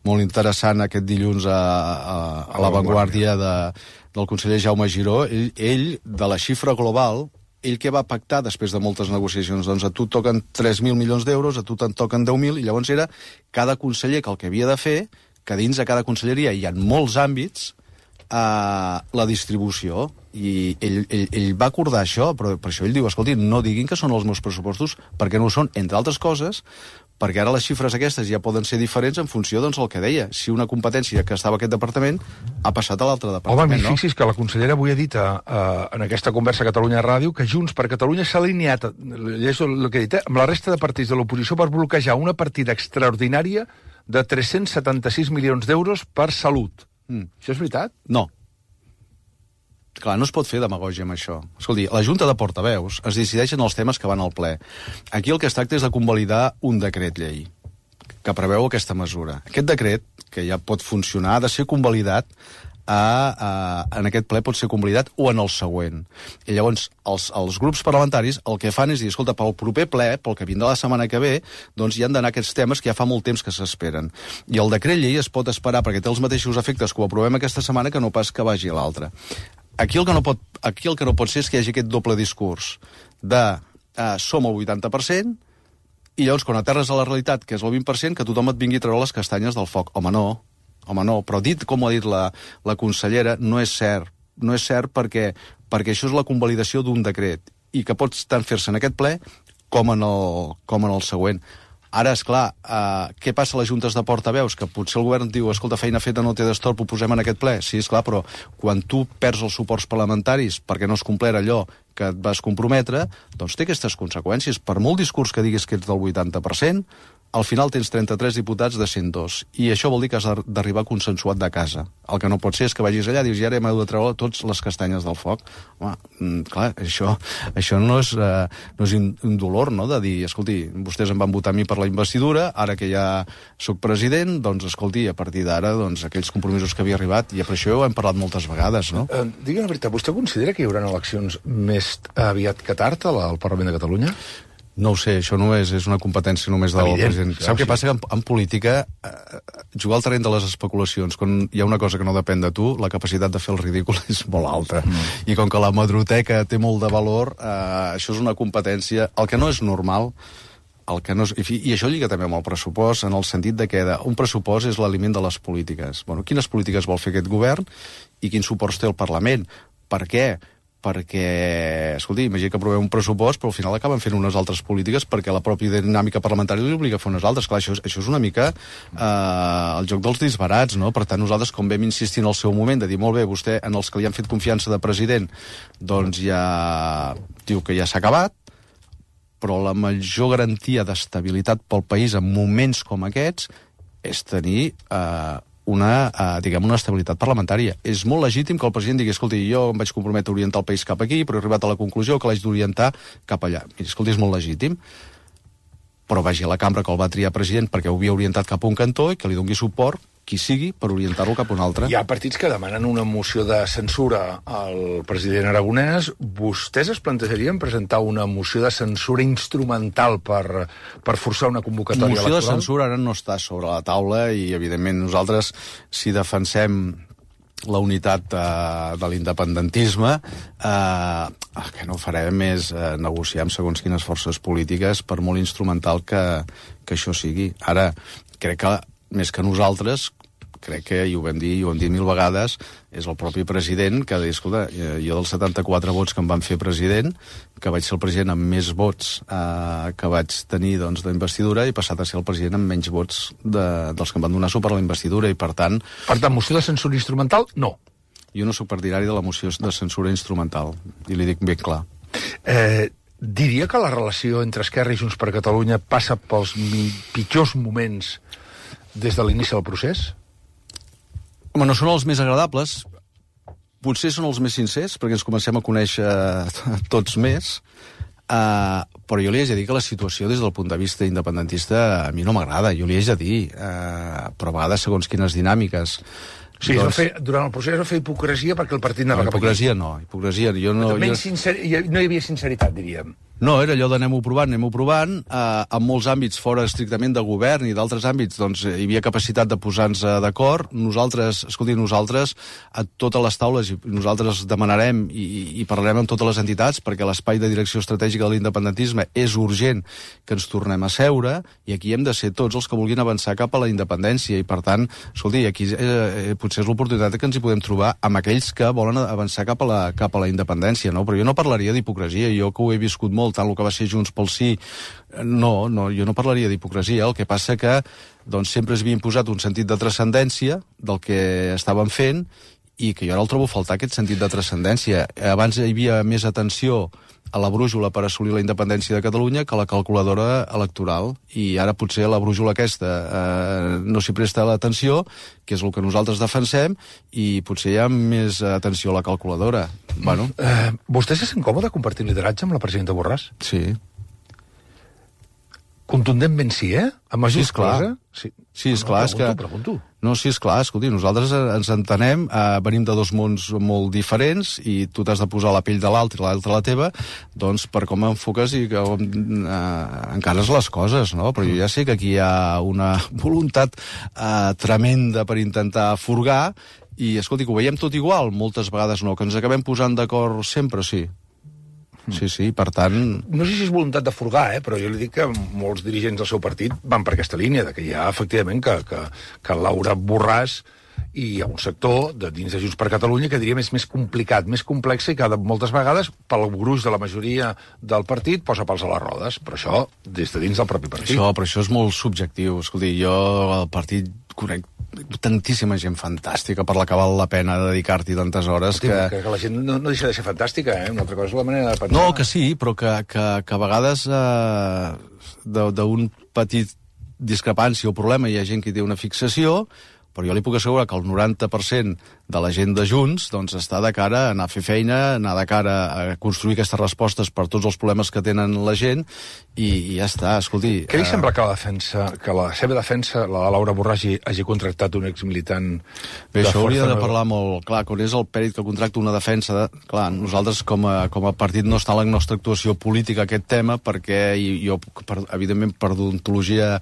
molt interessant aquest dilluns a La Vanguardia del conseller Jaume Giró. Ell, de la xifra global, ell que va pactar després de moltes negociacions, doncs a tu toquen 3.000 milions d'euros, a tu te'n toquen 10.000, i llavors era cada conseller que el que havia de fer, que dins de cada conselleria hi ha molts àmbits, la distribució, i ell va acordar això, però per això ell diu, escolti, no diguin que són els meus pressupostos, perquè no ho són, entre altres coses, perquè ara les xifres aquestes ja poden ser diferents en funció, doncs, el que deia. Si una competència que estava a aquest departament ha passat a l'altre departament, no? Home, fixi's que la consellera avui ha dit en aquesta conversa a Catalunya Ràdio que Junts per Catalunya s'ha alineat, llegeixo el que ha dit, amb la resta de partits de l'oposició per bloquejar una partida extraordinària de 376 milions d'euros per salut. Això és veritat? No. Clar, no es pot fer demagògia amb això. Escolti, la Junta de Portaveus es decideixen els temes que van al ple. Aquí el que es tracta és de convalidar un decret llei que preveu aquesta mesura. Aquest decret, que ja pot funcionar, ha de ser convalidat en aquest ple pot ser convalidat o en el següent. I llavors els grups parlamentaris el que fan és dir, escolta, pel proper ple, pel que vindrà la setmana que ve, doncs hi han d'anar aquests temes que ja fa molt temps que s'esperen. I el decret llei es pot esperar perquè té els mateixos efectes que ho aprovem aquesta setmana que no pas que vagi a l'altra. Aquí el que no pot ser és que hi hagi aquest doble discurs de som el 80% i llavors quan aterres a la realitat, que és el 20%, que tothom et vingui a treure les castanyes del foc. Home, no, però dit com ho ha dit la consellera, no és cert. No és cert perquè això és la convalidació d'un decret i que pot tant fer-se en aquest ple com en el següent. Ara, esclar, què passa a les juntes de portaveus? Que potser el govern diu, escolta, feina feta no té d'estorb, ho posem en aquest ple. Sí, esclar, però quan tu perds els suports parlamentaris perquè no has complert allò que et vas comprometre, doncs té aquestes conseqüències. Per molt discurs que diguis que ets del 80%, al final tens 33 diputats de 102. I això vol dir que has d'arribar consensuat de casa. El que no pot ser és que vagis allà i dius, i ara hem de treure tots les castanyes del foc. Home, clar, això no és un dolor, no?, de dir, escolti, vostès em van votar a mi per la investidura, ara que ja sóc president, doncs, escolti, a partir d'ara, doncs, aquells compromisos que havia arribat, i per això ho hem parlat moltes vegades, no? Digui la veritat, vostè considera que hi haurà eleccions més aviat que tard al Parlament de Catalunya? No ho sé, això no és una competència només del president. Sap què passa? Que en política, jugar al terreny de les especulacions, quan hi ha una cosa que no depèn de tu, la capacitat de fer el ridícul és molt alta. I com que la madroteca té molt de valor, això és una competència. El que no és normal, i això lliga també amb el pressupost, en el sentit de que un pressupost és l'aliment de les polítiques. Bueno, quines polítiques vol fer aquest govern i quins suports té el Parlament? Per què? Perquè, escolti, imagina que aprovem un pressupost, però al final acaben fent unes altres polítiques perquè la pròpia dinàmica parlamentària li obliga a fer unes altres. Clar, això és una mica el joc dels disbarats, no? Per tant, nosaltres, com vam insistir en el seu moment, de dir, molt bé, vostè, en els que li han fet confiança de president, doncs ja diu que ja s'ha acabat, però la major garantia d'estabilitat pel país en moments com aquests és tenir una estabilitat parlamentària. És molt legítim que el president digui, escolti, jo em vaig comprometre a orientar el país cap aquí, però he arribat a la conclusió que l'haig d'orientar cap allà. Miri, escolti, és molt legítim, però vagi a la cambra que el va triar president perquè ho havia orientat cap a un cantó i que li doni suport qui sigui per orientar-lo cap a un altre. Hi ha partits que demanen una moció de censura al president Aragonès. Vostès es plantejarien presentar una moció de censura instrumental per forçar una convocatòria electoral? Moció de censura ara no està sobre la taula i, evidentment, nosaltres, si defensem la unitat de l'independentisme, que no farem és negociar amb segons quines forces polítiques, per molt instrumental que això sigui. Ara, crec que més que nosaltres, crec que, i ho vam dir 1.000 vegades, és el propi president que deia, escolta, jo dels 74 vots que em van fer president, que vaig ser el president amb més vots que vaig tenir d'investidura, i passat a ser el president amb menys vots dels que em van donar suport a la investidura, i per tant... Per tant, moció de censura instrumental, no. Jo no soc partidari de la moció de censura instrumental, i li dic ben clar. Diria que la relació entre Esquerra i Junts per Catalunya passa pels pitjors moments des de l'inici del procés? Home, no són els més agradables, potser són els més sincers, perquè ens comencem a conèixer tots més, però jo li haig de dir que la situació des del punt de vista independentista a mi no m'agrada, jo li haig de dir, però a vegades segons quines dinàmiques. Sí, durant el procés es va fer hipocresia perquè el partit anava cap aquí. Hipocresia no. No hi havia sinceritat, diríem. No, era allò d'anem-ho provant. En molts àmbits, fora estrictament de govern i d'altres àmbits, doncs hi havia capacitat de posar-nos d'acord. Nosaltres a totes les taules, nosaltres demanarem i parlarem amb totes les entitats, perquè l'espai de direcció estratègica de l'independentisme és urgent que ens tornem a seure, i aquí hem de ser tots els que vulguin avançar cap a la independència, i per tant, escolti, aquí potser és l'oportunitat que ens hi podem trobar amb aquells que volen avançar cap a la independència, no? Però jo no parlaria d'hipocresia, jo que ho he viscut molt, tant el que va ser Junts pel Sí, no, jo no parlaria d'hipocresia. El que passa que sempre es havia imposat un sentit de transcendència del que estàvem fent, i que jo ara el trobo a faltar, aquest sentit de transcendència. Abans hi havia més atenció a la brújula per assolir la independència de Catalunya que a la calculadora electoral, i ara potser la brújula aquesta no s'hi presta l'atenció, que és el que nosaltres defensem, i potser hi ha més atenció a la calculadora. Bueno. Vostè se sent còmode compartir lideratge amb la presidenta Borràs? Sí. Contundentment sí, amb sí, esclar. Sí, esclar. Pregunto. No, sí, esclar, escolti, nosaltres ens entenem, venim de dos mons molt diferents i tu t'has de posar la pell de l'altre i l'altre la teva, doncs per com enfoques i com encares les coses, no? Però jo ja sé que aquí hi ha una voluntat tremenda per intentar furgar i, escolti, que ho veiem tot igual, moltes vegades no, que ens acabem posant d'acord sempre, sí. Sí, per tant... No sé si és voluntat de furgar, però jo li dic que molts dirigents del seu partit van per aquesta línia, que hi ha, efectivament, que Laura Borràs i hi ha un sector de dins de Junts per Catalunya que diríem és més complicat, més complex i que moltes vegades, pel gruix de la majoria del partit, posa pals a les rodes. Però això, des de dins del propi partit. Però això és molt subjectiu. Escolti, jo el partit conec tantíssima gent fantàstica per la que val la pena dedicar-t'hi tantes hores que la gent no deixa de ser fantàstica, Una altra cosa és la manera de pensar. No, que sí, però que a vegades d'un petit discrepància o problema hi ha gent que té una fixació, però jo li puc assegurar que el 90% de la gent de Junts doncs, està de cara a anar a fer feina, anar de cara a construir aquestes respostes per tots els problemes que tenen la gent i ja està, escolti... Què li sembla que la seva defensa, la Laura Borràs, hagi contractat un exmilitant? Bé, això hauria de parlar molt clar, quan és el pèrit que contracta una defensa... Clar, nosaltres com a partit no està en la nostra actuació política aquest tema perquè jo, evidentment, per deontologia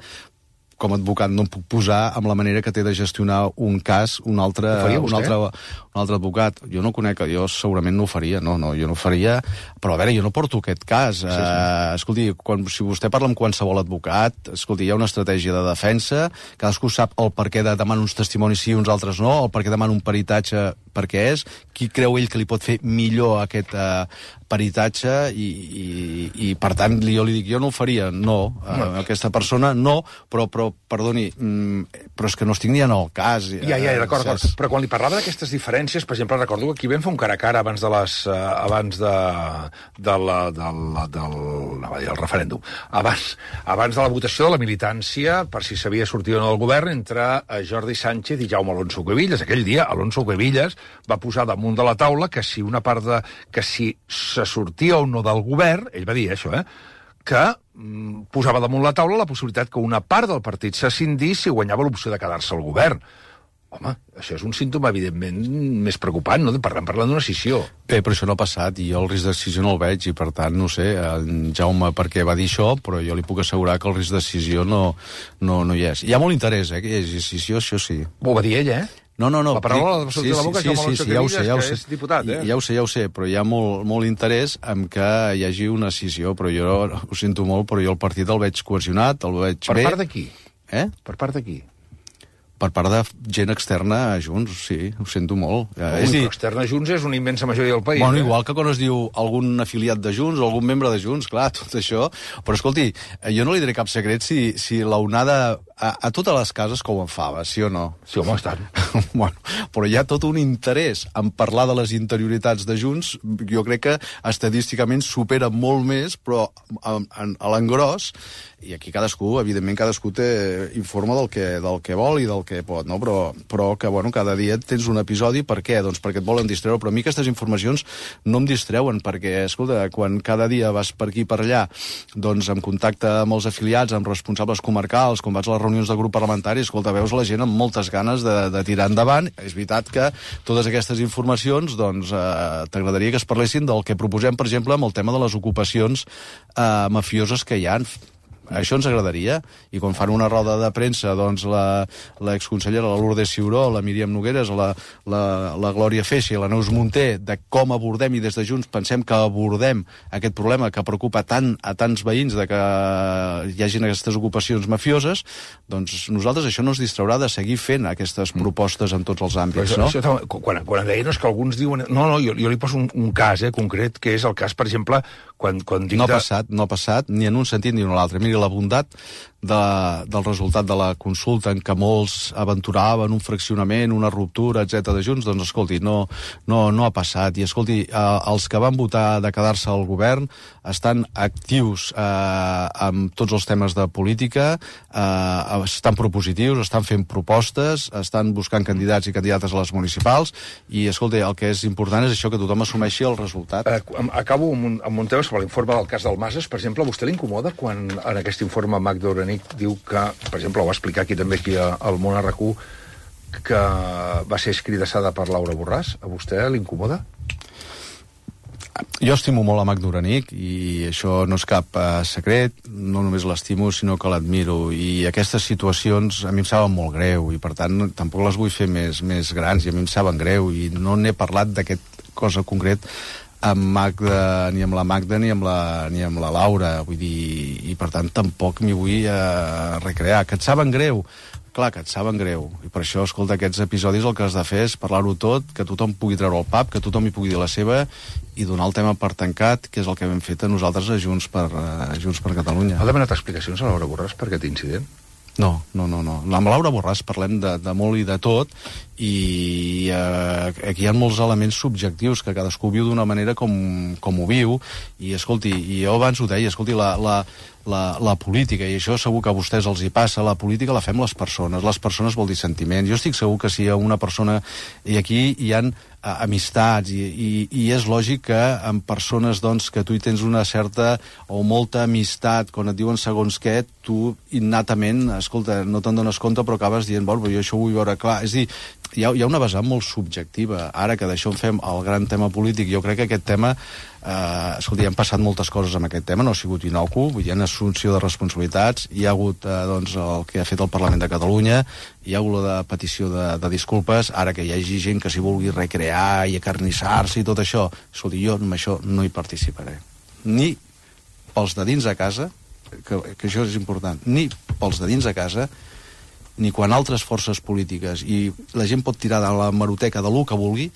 com a advocat no em puc posar amb la manera que té de gestionar un cas un altre advocat. Jo no conec, jo segurament no ho faria, no, jo no ho faria, però a veure, jo no porto aquest cas. Escolti, si vostè parla amb qualsevol advocat, escolti, hi ha una estratègia de defensa, cadascú sap el per què demana uns testimonis sí i uns altres no, el per què demana un peritatge perquè és, qui creu ell que li pot fer millor aquest peritatge i per tant, jo li dic, jo no ho faria, no, aquesta persona no, però perdoni, però és que no estic ni en el cas. Ja, d'acord, però quan li parlava d'aquestes diferències, per exemple, recordo que aquí vam fer un cara a cara abans del referèndum, abans de la votació de la militància, per si s'havia sortit o no del govern, entre Jordi Sánchez i Jaume Alonso Cuevillas. Aquell dia, Alonso Cuevillas va posar damunt de la taula que si se sortia o no del govern, ell va dir això, que posava damunt la taula la possibilitat que una part del partit s'escindís si guanyava l'opció de quedar-se al govern. Home, això és un símptoma, evidentment, més preocupant, no? Parlant d'una escissió. Bé, però això no ha passat, i jo el risc d'escissió no el veig, i per tant, no sé, en Jaume per què va dir això, però jo li puc assegurar que el risc d'escissió no hi és. Hi ha molt interès, que hi hagi escissió, això sí. Ho va dir ell, No. La paraula va sortir de la boca, Jaume Alonso Cuevillas, que és diputat, Ja ho sé, però hi ha molt interès en que hi hagi una escissió, però jo ho sento molt, però jo el partit el veig cohesionat, el veig bé. Per part de qui? Per part de qui? Per part de gent externa a Junts, sí, ho sento molt. Però externa a Junts és una immensa majoria del país. Bueno, igual que quan es diu algun afiliat de Junts o algun membre de Junts, clar, tot això. Però escolti, jo no li diré cap secret si l'onada a totes les cases com en fava, sí o no? Sí, home, estan. Bueno, però hi ha tot un interès en parlar de les interioritats de Junts, jo crec que estadísticament supera molt més, però a l'engròs, i aquí evidentment cadascú informa del que vol i del que pot, no? Però que, bueno, cada dia tens un episodi, per què? Doncs perquè et volen distreure, però a mi aquestes informacions no em distreuen, perquè, escolta, quan cada dia vas per aquí i per allà, doncs en contacte amb els afiliats, amb responsables comarcals, quan vaig a les reunions de grup parlamentari, escolta, veus la gent amb moltes ganes de tirar endavant. És veritat que totes aquestes informacions, doncs, t'agradaria que es parlessin del que proposem, per exemple, amb el tema de les ocupacions mafioses que hi ha. Això ens agradaria, i quan fan una roda de premsa, doncs l'exconsellera, la Lourdes Ciuró, la Míriam Nogueres, la Glòria Feixa i la Neus Munté, de com abordem, i des de Junts pensem que abordem aquest problema que preocupa tant a tants veïns de que hi hagin aquestes ocupacions mafioses, doncs nosaltres això no ens distraurà de seguir fent aquestes propostes en tots els àmbits, no? Quan deia, no, és que alguns diuen... No, jo li poso un cas concret, que és el cas, per exemple, quan dic... No ha passat, ni en un sentit ni en l'altre. Miri, la bondat del resultat de la consulta en què molts aventuraven un fraccionament, una ruptura, etc de Junts, doncs escolti, no ha passat. I escolti, els que van votar de quedar-se al govern estan actius amb tots els temes de política, estan propositius, estan fent propostes, estan buscant candidats i candidates a les municipals, i escolti, el que és important és això, que tothom assumeixi el resultat. Acabo amb un tema sobre l'informe del cas del Masses. Per exemple, a vostè l'incomoda quan en aquest informe Magda Orenic diu que, per exemple, ho va explicar aquí també al Món RQ, que va ser escridassada per Laura Borràs, a vostè l'incomoda? Jo estimo molt a Magda Uranic i això no és cap secret, no només l'estimo sinó que l'admiro, i aquestes situacions a mi em saben molt greu i per tant tampoc les vull fer més grans, i a mi em saben greu i no n'he parlat d'aquest cosa concret amb Magda, ni amb la Magda ni amb la Laura, vull dir, i per tant tampoc m'hi vull recrear. Que et saben greu? Clar que et saben greu, i per això, escolta, aquests episodis el que has de fer és parlar-ho tot, que tothom pugui treure el pap, que tothom hi pugui dir la seva i donar el tema per tancat, que és el que hem fet a nosaltres a Junts per Catalunya. Ha demanat explicacions a Laura Borràs per aquest incident? No. Amb Laura Borràs parlem de molt i de tot, i aquí hi ha molts elements subjectius que cadascú viu d'una manera com ho viu, i escolti, i jo abans ho deia, escolti, la política, i això segur que a vostès els hi passa, la política la fem les persones vol dir sentiments. Jo estic segur que si hi ha una persona, i aquí hi ha amistats, i és lògic que amb persones doncs, que tu hi tens una certa o molta amistat, quan et diuen segons què, tu innatament, escolta, no te'n dones compte però acabes dient, bueno, jo això ho vull veure clar. És a dir, hi ha una vessant molt subjectiva. Ara que d'això en fem el gran tema polític, jo crec que aquest tema, escolti, han passat moltes coses amb aquest tema, no ha sigut inocu, hi ha una assumpció de responsabilitats, hi ha hagut doncs, el que ha fet el Parlament de Catalunya, hi ha hagut la petició de disculpes, ara que hi hagi gent que s'hi vulgui recrear i acarnissar-se i tot això, escolti, jo amb això no hi participaré. Ni pels de dins a casa, que això és important, ni pels de dins a casa, ni quan altres forces polítiques, i la gent pot tirar de la hemeroteca de lo que vulgui,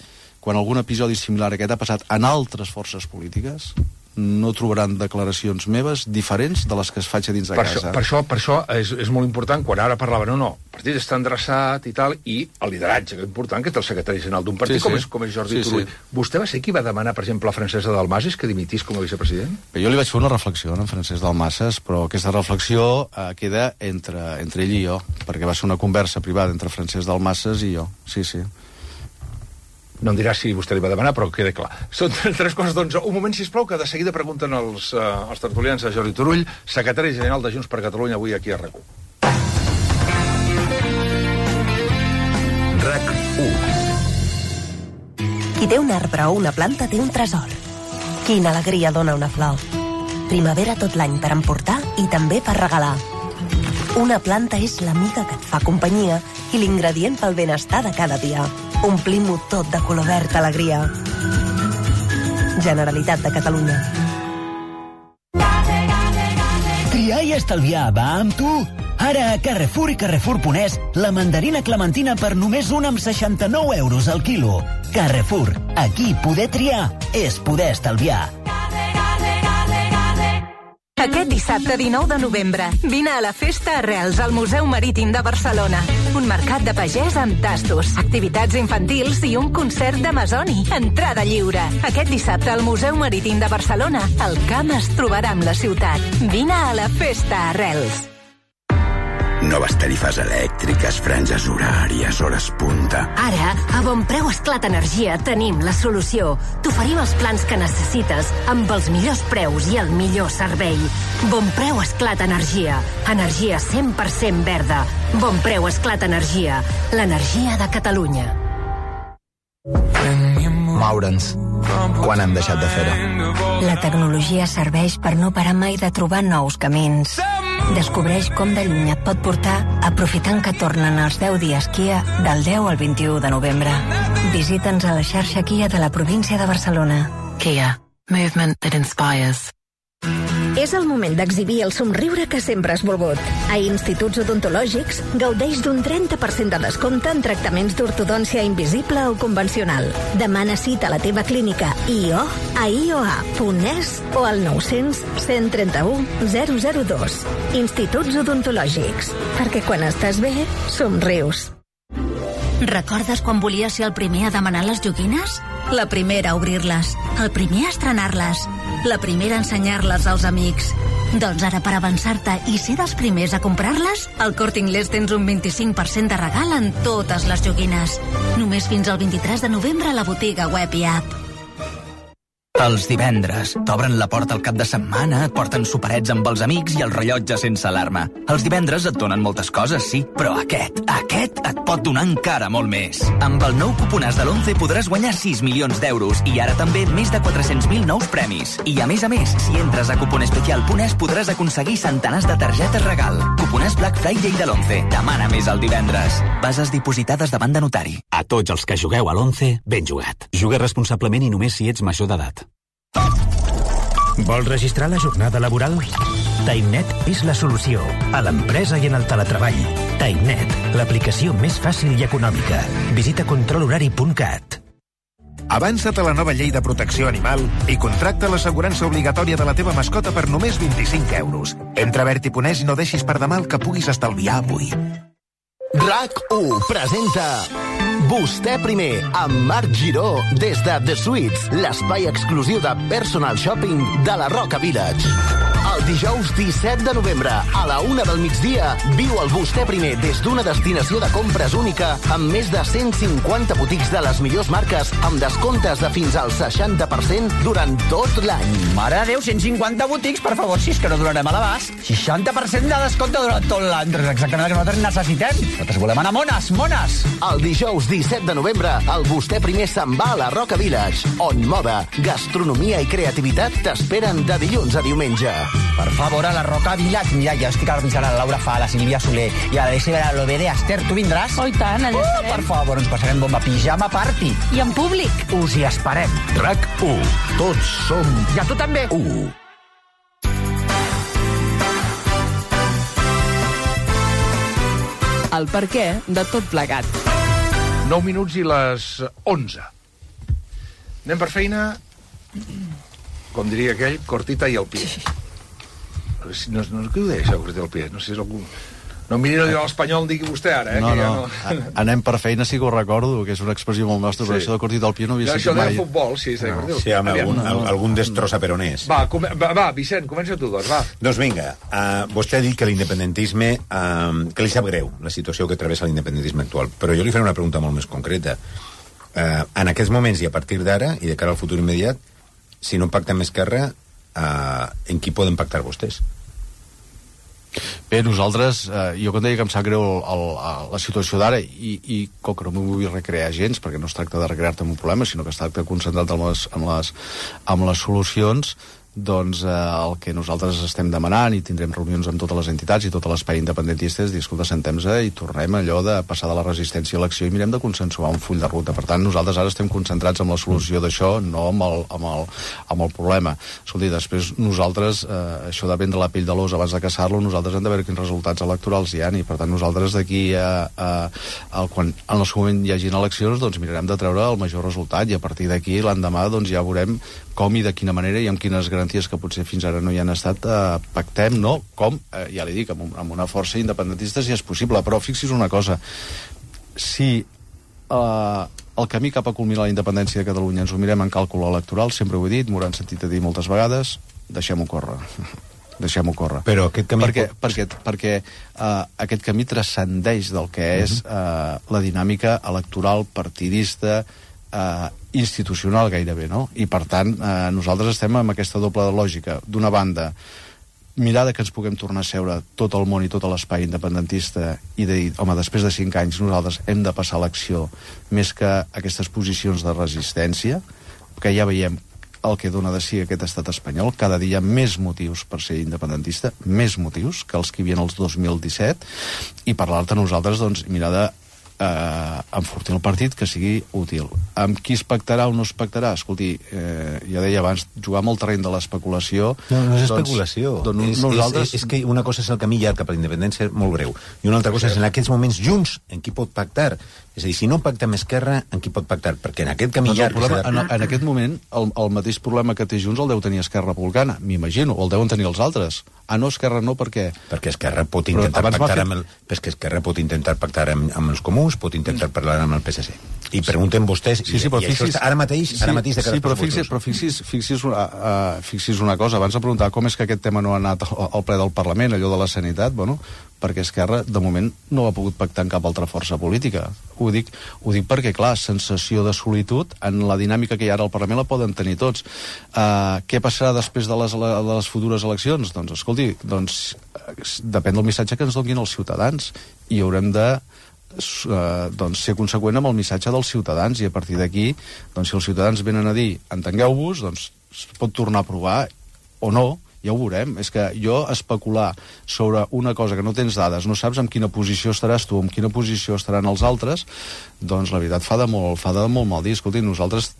quan algun episodi similar a aquest ha passat en altres forces polítiques, no trobaran declaracions meves diferents de les que es faig a dins de casa. Per això és molt important, quan ara parlaven, no, el partit està endreçat i tal, i el lideratge, que és important, que és el secretari general d'un partit, com és Jordi Turull. Vostè va ser qui va demanar, per exemple, a Francesc Dalmases que dimitís com a vicepresident? Jo li vaig fer una reflexió en Francesc Dalmases, però aquesta reflexió queda entre ell i jo, perquè va ser una conversa privada entre Francesc Dalmases i jo. Sí. No em dirà si vostè li va demanar, però queda clar. Són tres coses, doncs. Un moment, sisplau, que de seguida pregunten els tertulians a Jordi Turull, secretari general de Junts per Catalunya, avui aquí a RAC1. RAC1. Qui té un arbre o una planta té un tresor. Quina alegria dona una flor. Primavera tot l'any per emportar i també per regalar. Una planta és l'amiga que et fa companyia i l'ingredient pel benestar de cada dia. Omplim-ho tot de color verd alegria. Generalitat de Catalunya. Triar i estalviar va amb tu. Ara a Carrefour i Carrefour.es, la mandarina clementina per només 1,69 € al quilo. Carrefour, aquí poder triar és poder estalviar. Aquest dissabte 19 de novembre, vine a la Festa Arrels al Museu Marítim de Barcelona. Un mercat de pagès amb tastos, activitats infantils i un concert d'Amazoni. Entrada lliure. Aquest dissabte al Museu Marítim de Barcelona, el camp es trobarà amb la ciutat. Vine a la Festa Arrels. Noves tarifes elèctriques, franges horàries, hores punta. Ara, a Bon Preu Esclat Energia tenim la solució. T'oferim els plans que necessites amb els millors preus i el millor servei. Bon Preu Esclat Energia. Energia 100% verda. Bon Preu Esclat Energia. L'energia de Catalunya. Moure'ns. Quan hem deixat de fer-ho? La tecnologia serveix per no parar mai de trobar nous camins. Descobreix com de lluny et pot portar aprofitant que tornen els 10 dies Kia del 10 al 21 de novembre. Visita'ns a la xarxa Kia de la província de Barcelona. Kia. Movement that inspires. És el moment d'exhibir el somriure que sempre has volgut. A Instituts Odontològics gaudeix d'un 30% de descompte en tractaments d'ortodòncia invisible o convencional. Demana cita a la teva clínica IO a ioa.es o al 900 131 002. Instituts Odontològics. Perquè quan estàs bé, somrius. Recordes quan volies ser el primer a demanar les joguines? La primera a obrir-les, el primer a estrenar-les, la primera a ensenyar-les als amics. Doncs ara, per avançar-te i ser dels primers a comprar-les, al Corte Inglés tens un 25% de regal en totes les joguines. Només fins al 23 de novembre a la botiga web i app. Els divendres. T'obren la porta al cap de setmana, et porten soparets amb els amics i el rellotge sense alarma. Els divendres et donen moltes coses, sí, però aquest et pot donar encara molt més. Amb el nou cuponàs de l'11 podràs guanyar 6 milions d'euros i ara també més de 400.000 nous premis. I a més, si entres a cuponespecial.es podràs aconseguir centenars de targetes regal. Cuponàs Black Friday de l'11. Demana més el divendres. Bases dipositades davant de notari. A tots els que jugueu a l'11, ben jugat. Juga responsablement i només si ets major d'edat. Vols registrar la jornada laboral? TimeNet és la solució a l'empresa i en el teletreball. TimeNet, l'aplicació més fàcil i econòmica. Visita controlhorari.cat. Avança't a la nova llei de protecció animal i contracta l'assegurança obligatòria de la teva mascota per només 25 euros. Entra a Verti.es i no deixis per demà el que puguis estalviar avui. RAC1 presenta Vostè primer, amb Marc Giró, des de The Suites, l'espai exclusiu de personal shopping de la Roca Village. El dijous 17 de novembre, a la 1 del migdia, viu el Vostè primer des d'una destinació de compres única amb més de 150 botics de les millors marques amb descomptes de fins al 60% durant tot l'any. Mare de Déu, 150 botics, per favor, si és que no donarem a l'abast. 60% de descompte durant tot l'any. Exactament el que nosaltres necessitem. Nosaltres volem anar mones, mones. El dijous 17 de novembre, el Vostè primer se'n va a la Roca Village, on moda, gastronomia i creativitat t'esperen de dilluns a diumenge. Per favor, a la Roca Village. Mira, ja estic avisant a la Laura Fa, a la Sílvia Soler i a la Lovere Esther. Tu vindràs? Oh, i tant, allà estarem. Per favor, ens passarem bomba, pijama party. I en públic. Us hi esperem. RAC1. Tots som... I a tu també. El per què de tot plegat. 9 minuts i les 11. Anem per feina, com diria aquell, cortita i al pie. No, què ho deia, això, cortita i al pie? No sé si és algun... No miri no diu l'espanyol, digui vostè ara, No, que ja no. Anem per feina, sí que ho recordo, que és una expressió molt nostra, però això de cortita al pie no havia sentit mai. Això de futbol, sí, és de cortita. Sí, amb algun destrossa peronès. Va, Vicent, comença tu, doncs, va. Doncs vinga, vostè ha dit que l'independentisme, que li sap greu la situació que travessa l'independentisme actual, però jo li faré una pregunta molt més concreta. En aquests moments i a partir d'ara, i de cara al futur immediat, si no pacta amb Esquerra, en qui poden pactar vostès? Bé, nosaltres, jo quan deia que em sap greu la situació d'ara i com que no m'ho vull recrear gens, perquè no es tracta de recrear-te en un problema, sinó que es tracta de concentrar en les solucions, doncs el que nosaltres estem demanant i tindrem reunions amb totes les entitats i tot l'espai independentista és dir, escolta, sentem-se i tornem allò de passar de la resistència a l'acció i mirem de consensuar un full de ruta. Per tant, nosaltres ara estem concentrats en la solució d'això, no amb el problema. Escolti, després nosaltres, això de vendre la pell de l'os abans de caçar-lo, nosaltres hem de veure quins resultats electorals hi ha, i per tant nosaltres d'aquí quan en el seu moment hi hagin eleccions, doncs mirarem de treure el major resultat i a partir d'aquí l'endemà doncs ja veurem com i de quina manera i amb quines garanties que potser fins ara no hi han estat pactem, no? Com, ja li dic, amb una força independentista si és possible, però fixi's una cosa, si el camí cap a culminar la independència de Catalunya ens ho mirem en càlcul electoral, sempre ho he dit, m'ho han sentit a dir moltes vegades, deixem-ho córrer. Però aquest camí... Perquè aquest camí transcendeix del que és la dinàmica electoral partidista institucional gairebé, no? I per tant nosaltres estem amb aquesta doble lògica. D'una banda, mirar que ens puguem tornar a seure tot el món i tot l'espai independentista i de dir, home, després de 5 anys nosaltres hem de passar a l'acció més que aquestes posicions de resistència, que ja veiem el que dona de si aquest estat espanyol. Cada dia més motius per ser independentista, més motius que els que hi havia els 2017, i per l'altre nosaltres doncs mirar de enfortir el partit que sigui útil. Amb qui es pactarà o no es pactarà? Escolti, ja deia abans, jugar amb el terreny de l'especulació... No és especulació. És que una cosa és el camí llarg cap a la independència, molt breu, i una altra cosa és en aquests moments junts en qui pot pactar. És a dir, si no pacta amb Esquerra, en qui pot pactar? Perquè en aquest camí llarg... En aquest moment, el mateix problema que té Junts el deu tenir Esquerra Republicana, m'imagino, o el deuen tenir els altres. No, Esquerra no, per què? Perquè Esquerra pot intentar pactar amb els comuns. Camús pot intentar parlar amb el PSC. I pregunten vostès... Sí, però fixis... Ara mateix de cara fixis una cosa. Abans de preguntar com és que aquest tema no ha anat al ple del Parlament, allò de la sanitat, bueno, perquè Esquerra, de moment, no ha pogut pactar amb cap altra força política. Ho dic perquè, clar, sensació de solitud, en la dinàmica que hi ha ara al Parlament la poden tenir tots. Què passarà després de les futures eleccions? Doncs, escolti, depèn del missatge que ens donin els ciutadans, i haurem de ser conseqüent amb el missatge dels ciutadans, i a partir d'aquí, si els ciutadans venen a dir entengueu-vos, doncs es pot tornar a provar o no, ja ho veurem. És que jo especular sobre una cosa que no tens dades, no saps en quina posició estaràs tu, en quina posició estaran els altres, doncs la veritat fa de molt mal dir. Escolti, nosaltres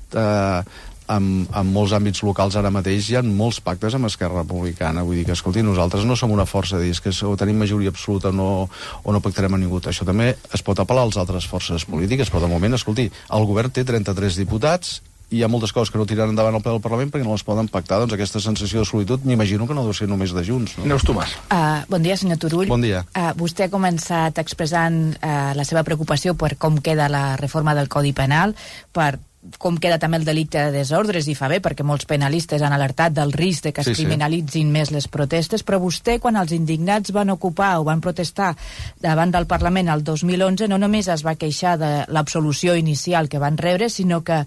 en molts àmbits locals ara mateix hi ha molts pactes amb Esquerra Republicana. Vull dir que, escolti, nosaltres no som una força de dir que o tenim majoria absoluta o no pactarem a ningú. Això també es pot apel·lar a les altres forces polítiques, però de moment, escolti, el govern té 33 diputats, i hi ha moltes coses que no tiraran endavant al ple del Parlament perquè no les poden pactar. Doncs aquesta sensació de solitud m'imagino que no deu ser només de Junts, no? Neus Tomàs. Bon dia, senyor Turull. Bon dia. Vostè ha començat expressant la seva preocupació per com queda la reforma del Codi Penal, per com queda també el delicte de desordres, i fa bé, perquè molts penalistes han alertat del risc de que es criminalitzin més les protestes, però vostè, quan els indignats van ocupar o van protestar davant del Parlament el 2011, no només es va queixar de l'absolució inicial que van rebre, sinó que,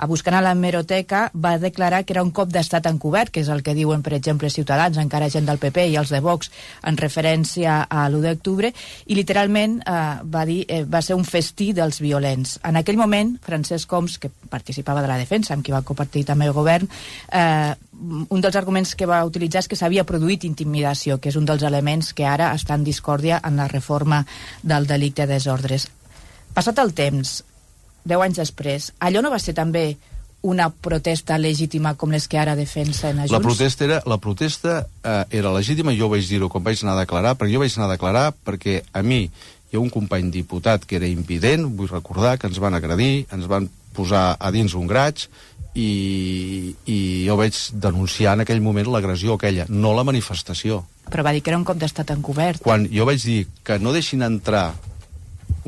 buscant a l'hemeroteca, va declarar que era un cop d'estat encobert, que és el que diuen, per exemple, Ciutadans, encara gent del PP i els de Vox, en referència a l'1 d'octubre, i literalment va dir va ser un festí dels violents. En aquell moment, Francesc Homs, que participava de la defensa, amb qui va compartir també el govern, un dels arguments que va utilitzar és que s'havia produït intimidació, que és un dels elements que ara està en discòrdia en la reforma del delicte de desordres. Passat el temps, 10 anys després, allò no va ser també una protesta legítima com les que ara defensen a Junts? La protesta era legítima, jo vaig dir-ho quan vaig anar a declarar, perquè jo vaig anar a declarar perquè a mi hi ha un company diputat que era invident, vull recordar que ens van agredir, ens van posar a dins un graig, i jo vaig denunciar en aquell moment l'agressió aquella, no la manifestació. Però va dir que era un cop d'estat encobert. Quan jo vaig dir que no deixin entrar,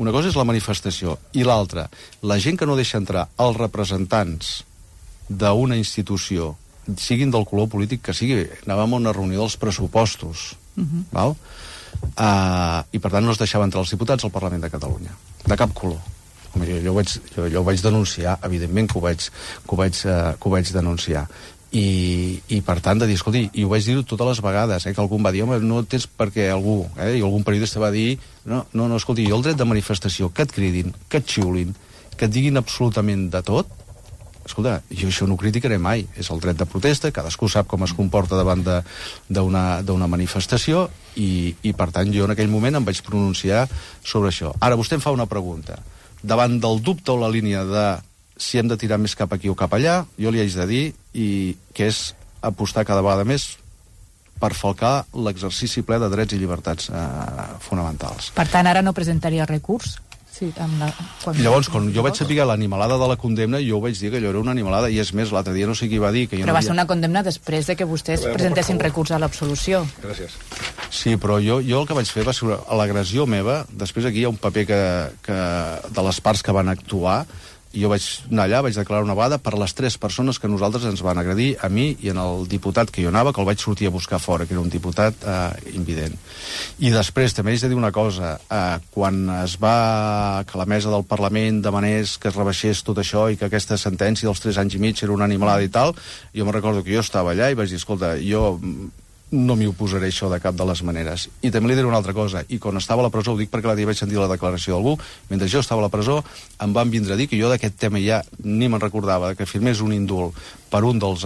una cosa és la manifestació, i l'altra, la gent que no deixa entrar els representants d'una institució, siguin del color polític que sigui, anàvem a una reunió dels pressupostos, val? I per tant no es deixava entrar els diputats al Parlament de Catalunya, de cap color. Jo ho vaig denunciar, evidentment que ho vaig denunciar. I per tant, de dir, escolti, i ho vaig dir totes les vegades, que algú em va dir, home, no tens per què algú, i algun periodista va dir, no, escolti, jo el dret de manifestació, que et cridin, que et xiulin, que et diguin absolutament de tot, escolta, jo això no ho criticaré mai, és el dret de protesta, cadascú sap com es comporta davant d'una manifestació, i per tant jo en aquell moment em vaig pronunciar sobre això. Ara vostè em fa una pregunta. Davant del dubte o la línia de si hem de tirar més cap aquí o cap allà, jo li haig de dir que és apostar cada vegada més per falcar l'exercici ple de drets i llibertats fonamentals. Per tant, ara no presentaria recurs? Sí, Llavors, quan jo vaig saber l'animalada de la condemna, jo vaig dir que allò era una animalada, i és més, l'altre dia no sé qui va dir que jo Però va ser una condemna després de que vostès presentessin recurs a l'absolució. Gràcies. Sí, però jo el que vaig fer va ser l'agressió meva. Després aquí hi ha un paper de les parts que van actuar, i jo vaig anar allà, vaig declarar una vegada per les 3 persones que nosaltres ens van agredir, a mi i en el diputat que jo anava, que el vaig sortir a buscar fora, que era un diputat invident. I després també haig de dir una cosa, quan es va que la mesa del Parlament demanés que es rebaixés tot això i que aquesta sentència dels 3 anys i mig era una animalada i tal, jo me recordo que jo estava allà i vaig dir, escolta, jo no m'hi oposaré això de cap de les maneres. I també li diré una altra cosa, i quan estava a la presó, ho dic perquè l'altre dia vaig sentir la declaració d'algú, mentre jo estava a la presó em van vindre a dir que jo d'aquest tema ja ni me'n recordava, que firmés un indult per un dels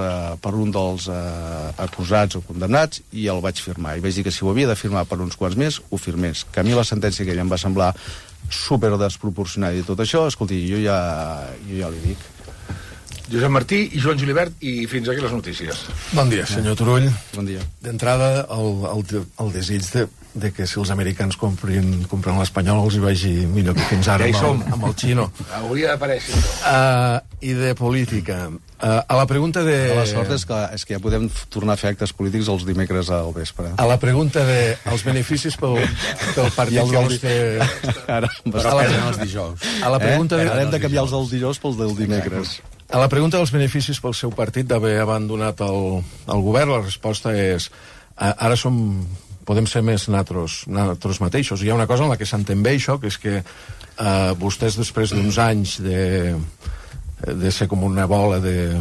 acusats o condemnats, i el vaig firmar, i vaig dir que si ho havia de firmar per uns quants més, ho firmés, que a mi la sentència aquella em va semblar super desproporcionada i tot això, escolti, jo ja li dic. Josep Martí i Joan Julibert, i fins aquí les notícies. Bon dia, senyor Turull. Bon dia. D'entrada, el desig de que si els americans compren l'espanyol els hi vagi millor que fins ara amb el xino. Hauria d'aparèixer. I de política. A la pregunta de... La sort és que ja podem tornar a fer actes polítics els dimecres al vespre. A la pregunta de els beneficis pel partit que vostè... Ara, els dijous. A la pregunta de... Hem de canviar els del dijous pels del dimecres. A la pregunta dels beneficis pel seu partit d'haver abandonat el govern, la resposta és ara podem ser més nosaltres mateixos. Hi ha una cosa en la que s'entén bé això, que és que vostès, després d'uns anys de ser com una bola de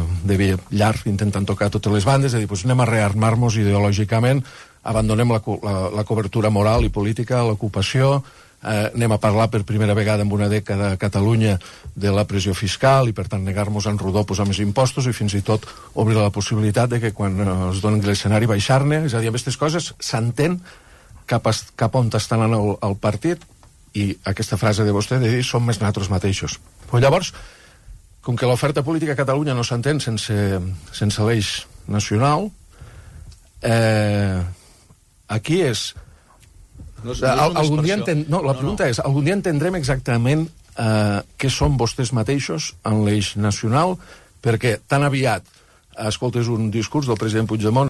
llarg intentant tocar totes les bandes, de dir, doncs anem a rearmar-nos ideològicament, abandonem la cobertura moral i política, l'ocupació, anem a parlar per primera vegada en una dècada a Catalunya de la pressió fiscal i per tant negar-nos en rodó posar més impostos i fins i tot obrir la possibilitat de que quan es doni l'escenari baixar-ne, és a dir, amb aquestes coses s'entén cap on està anant el partit, i aquesta frase de vostè de dir som més nosaltres mateixos. Però llavors, com que l'oferta política a Catalunya no s'entén sense l'eix nacional, aquí és... la pregunta és, algun dia entendrem exactament què són vostès mateixos en l'eix nacional, perquè tan aviat escoltes un discurs del president Puigdemont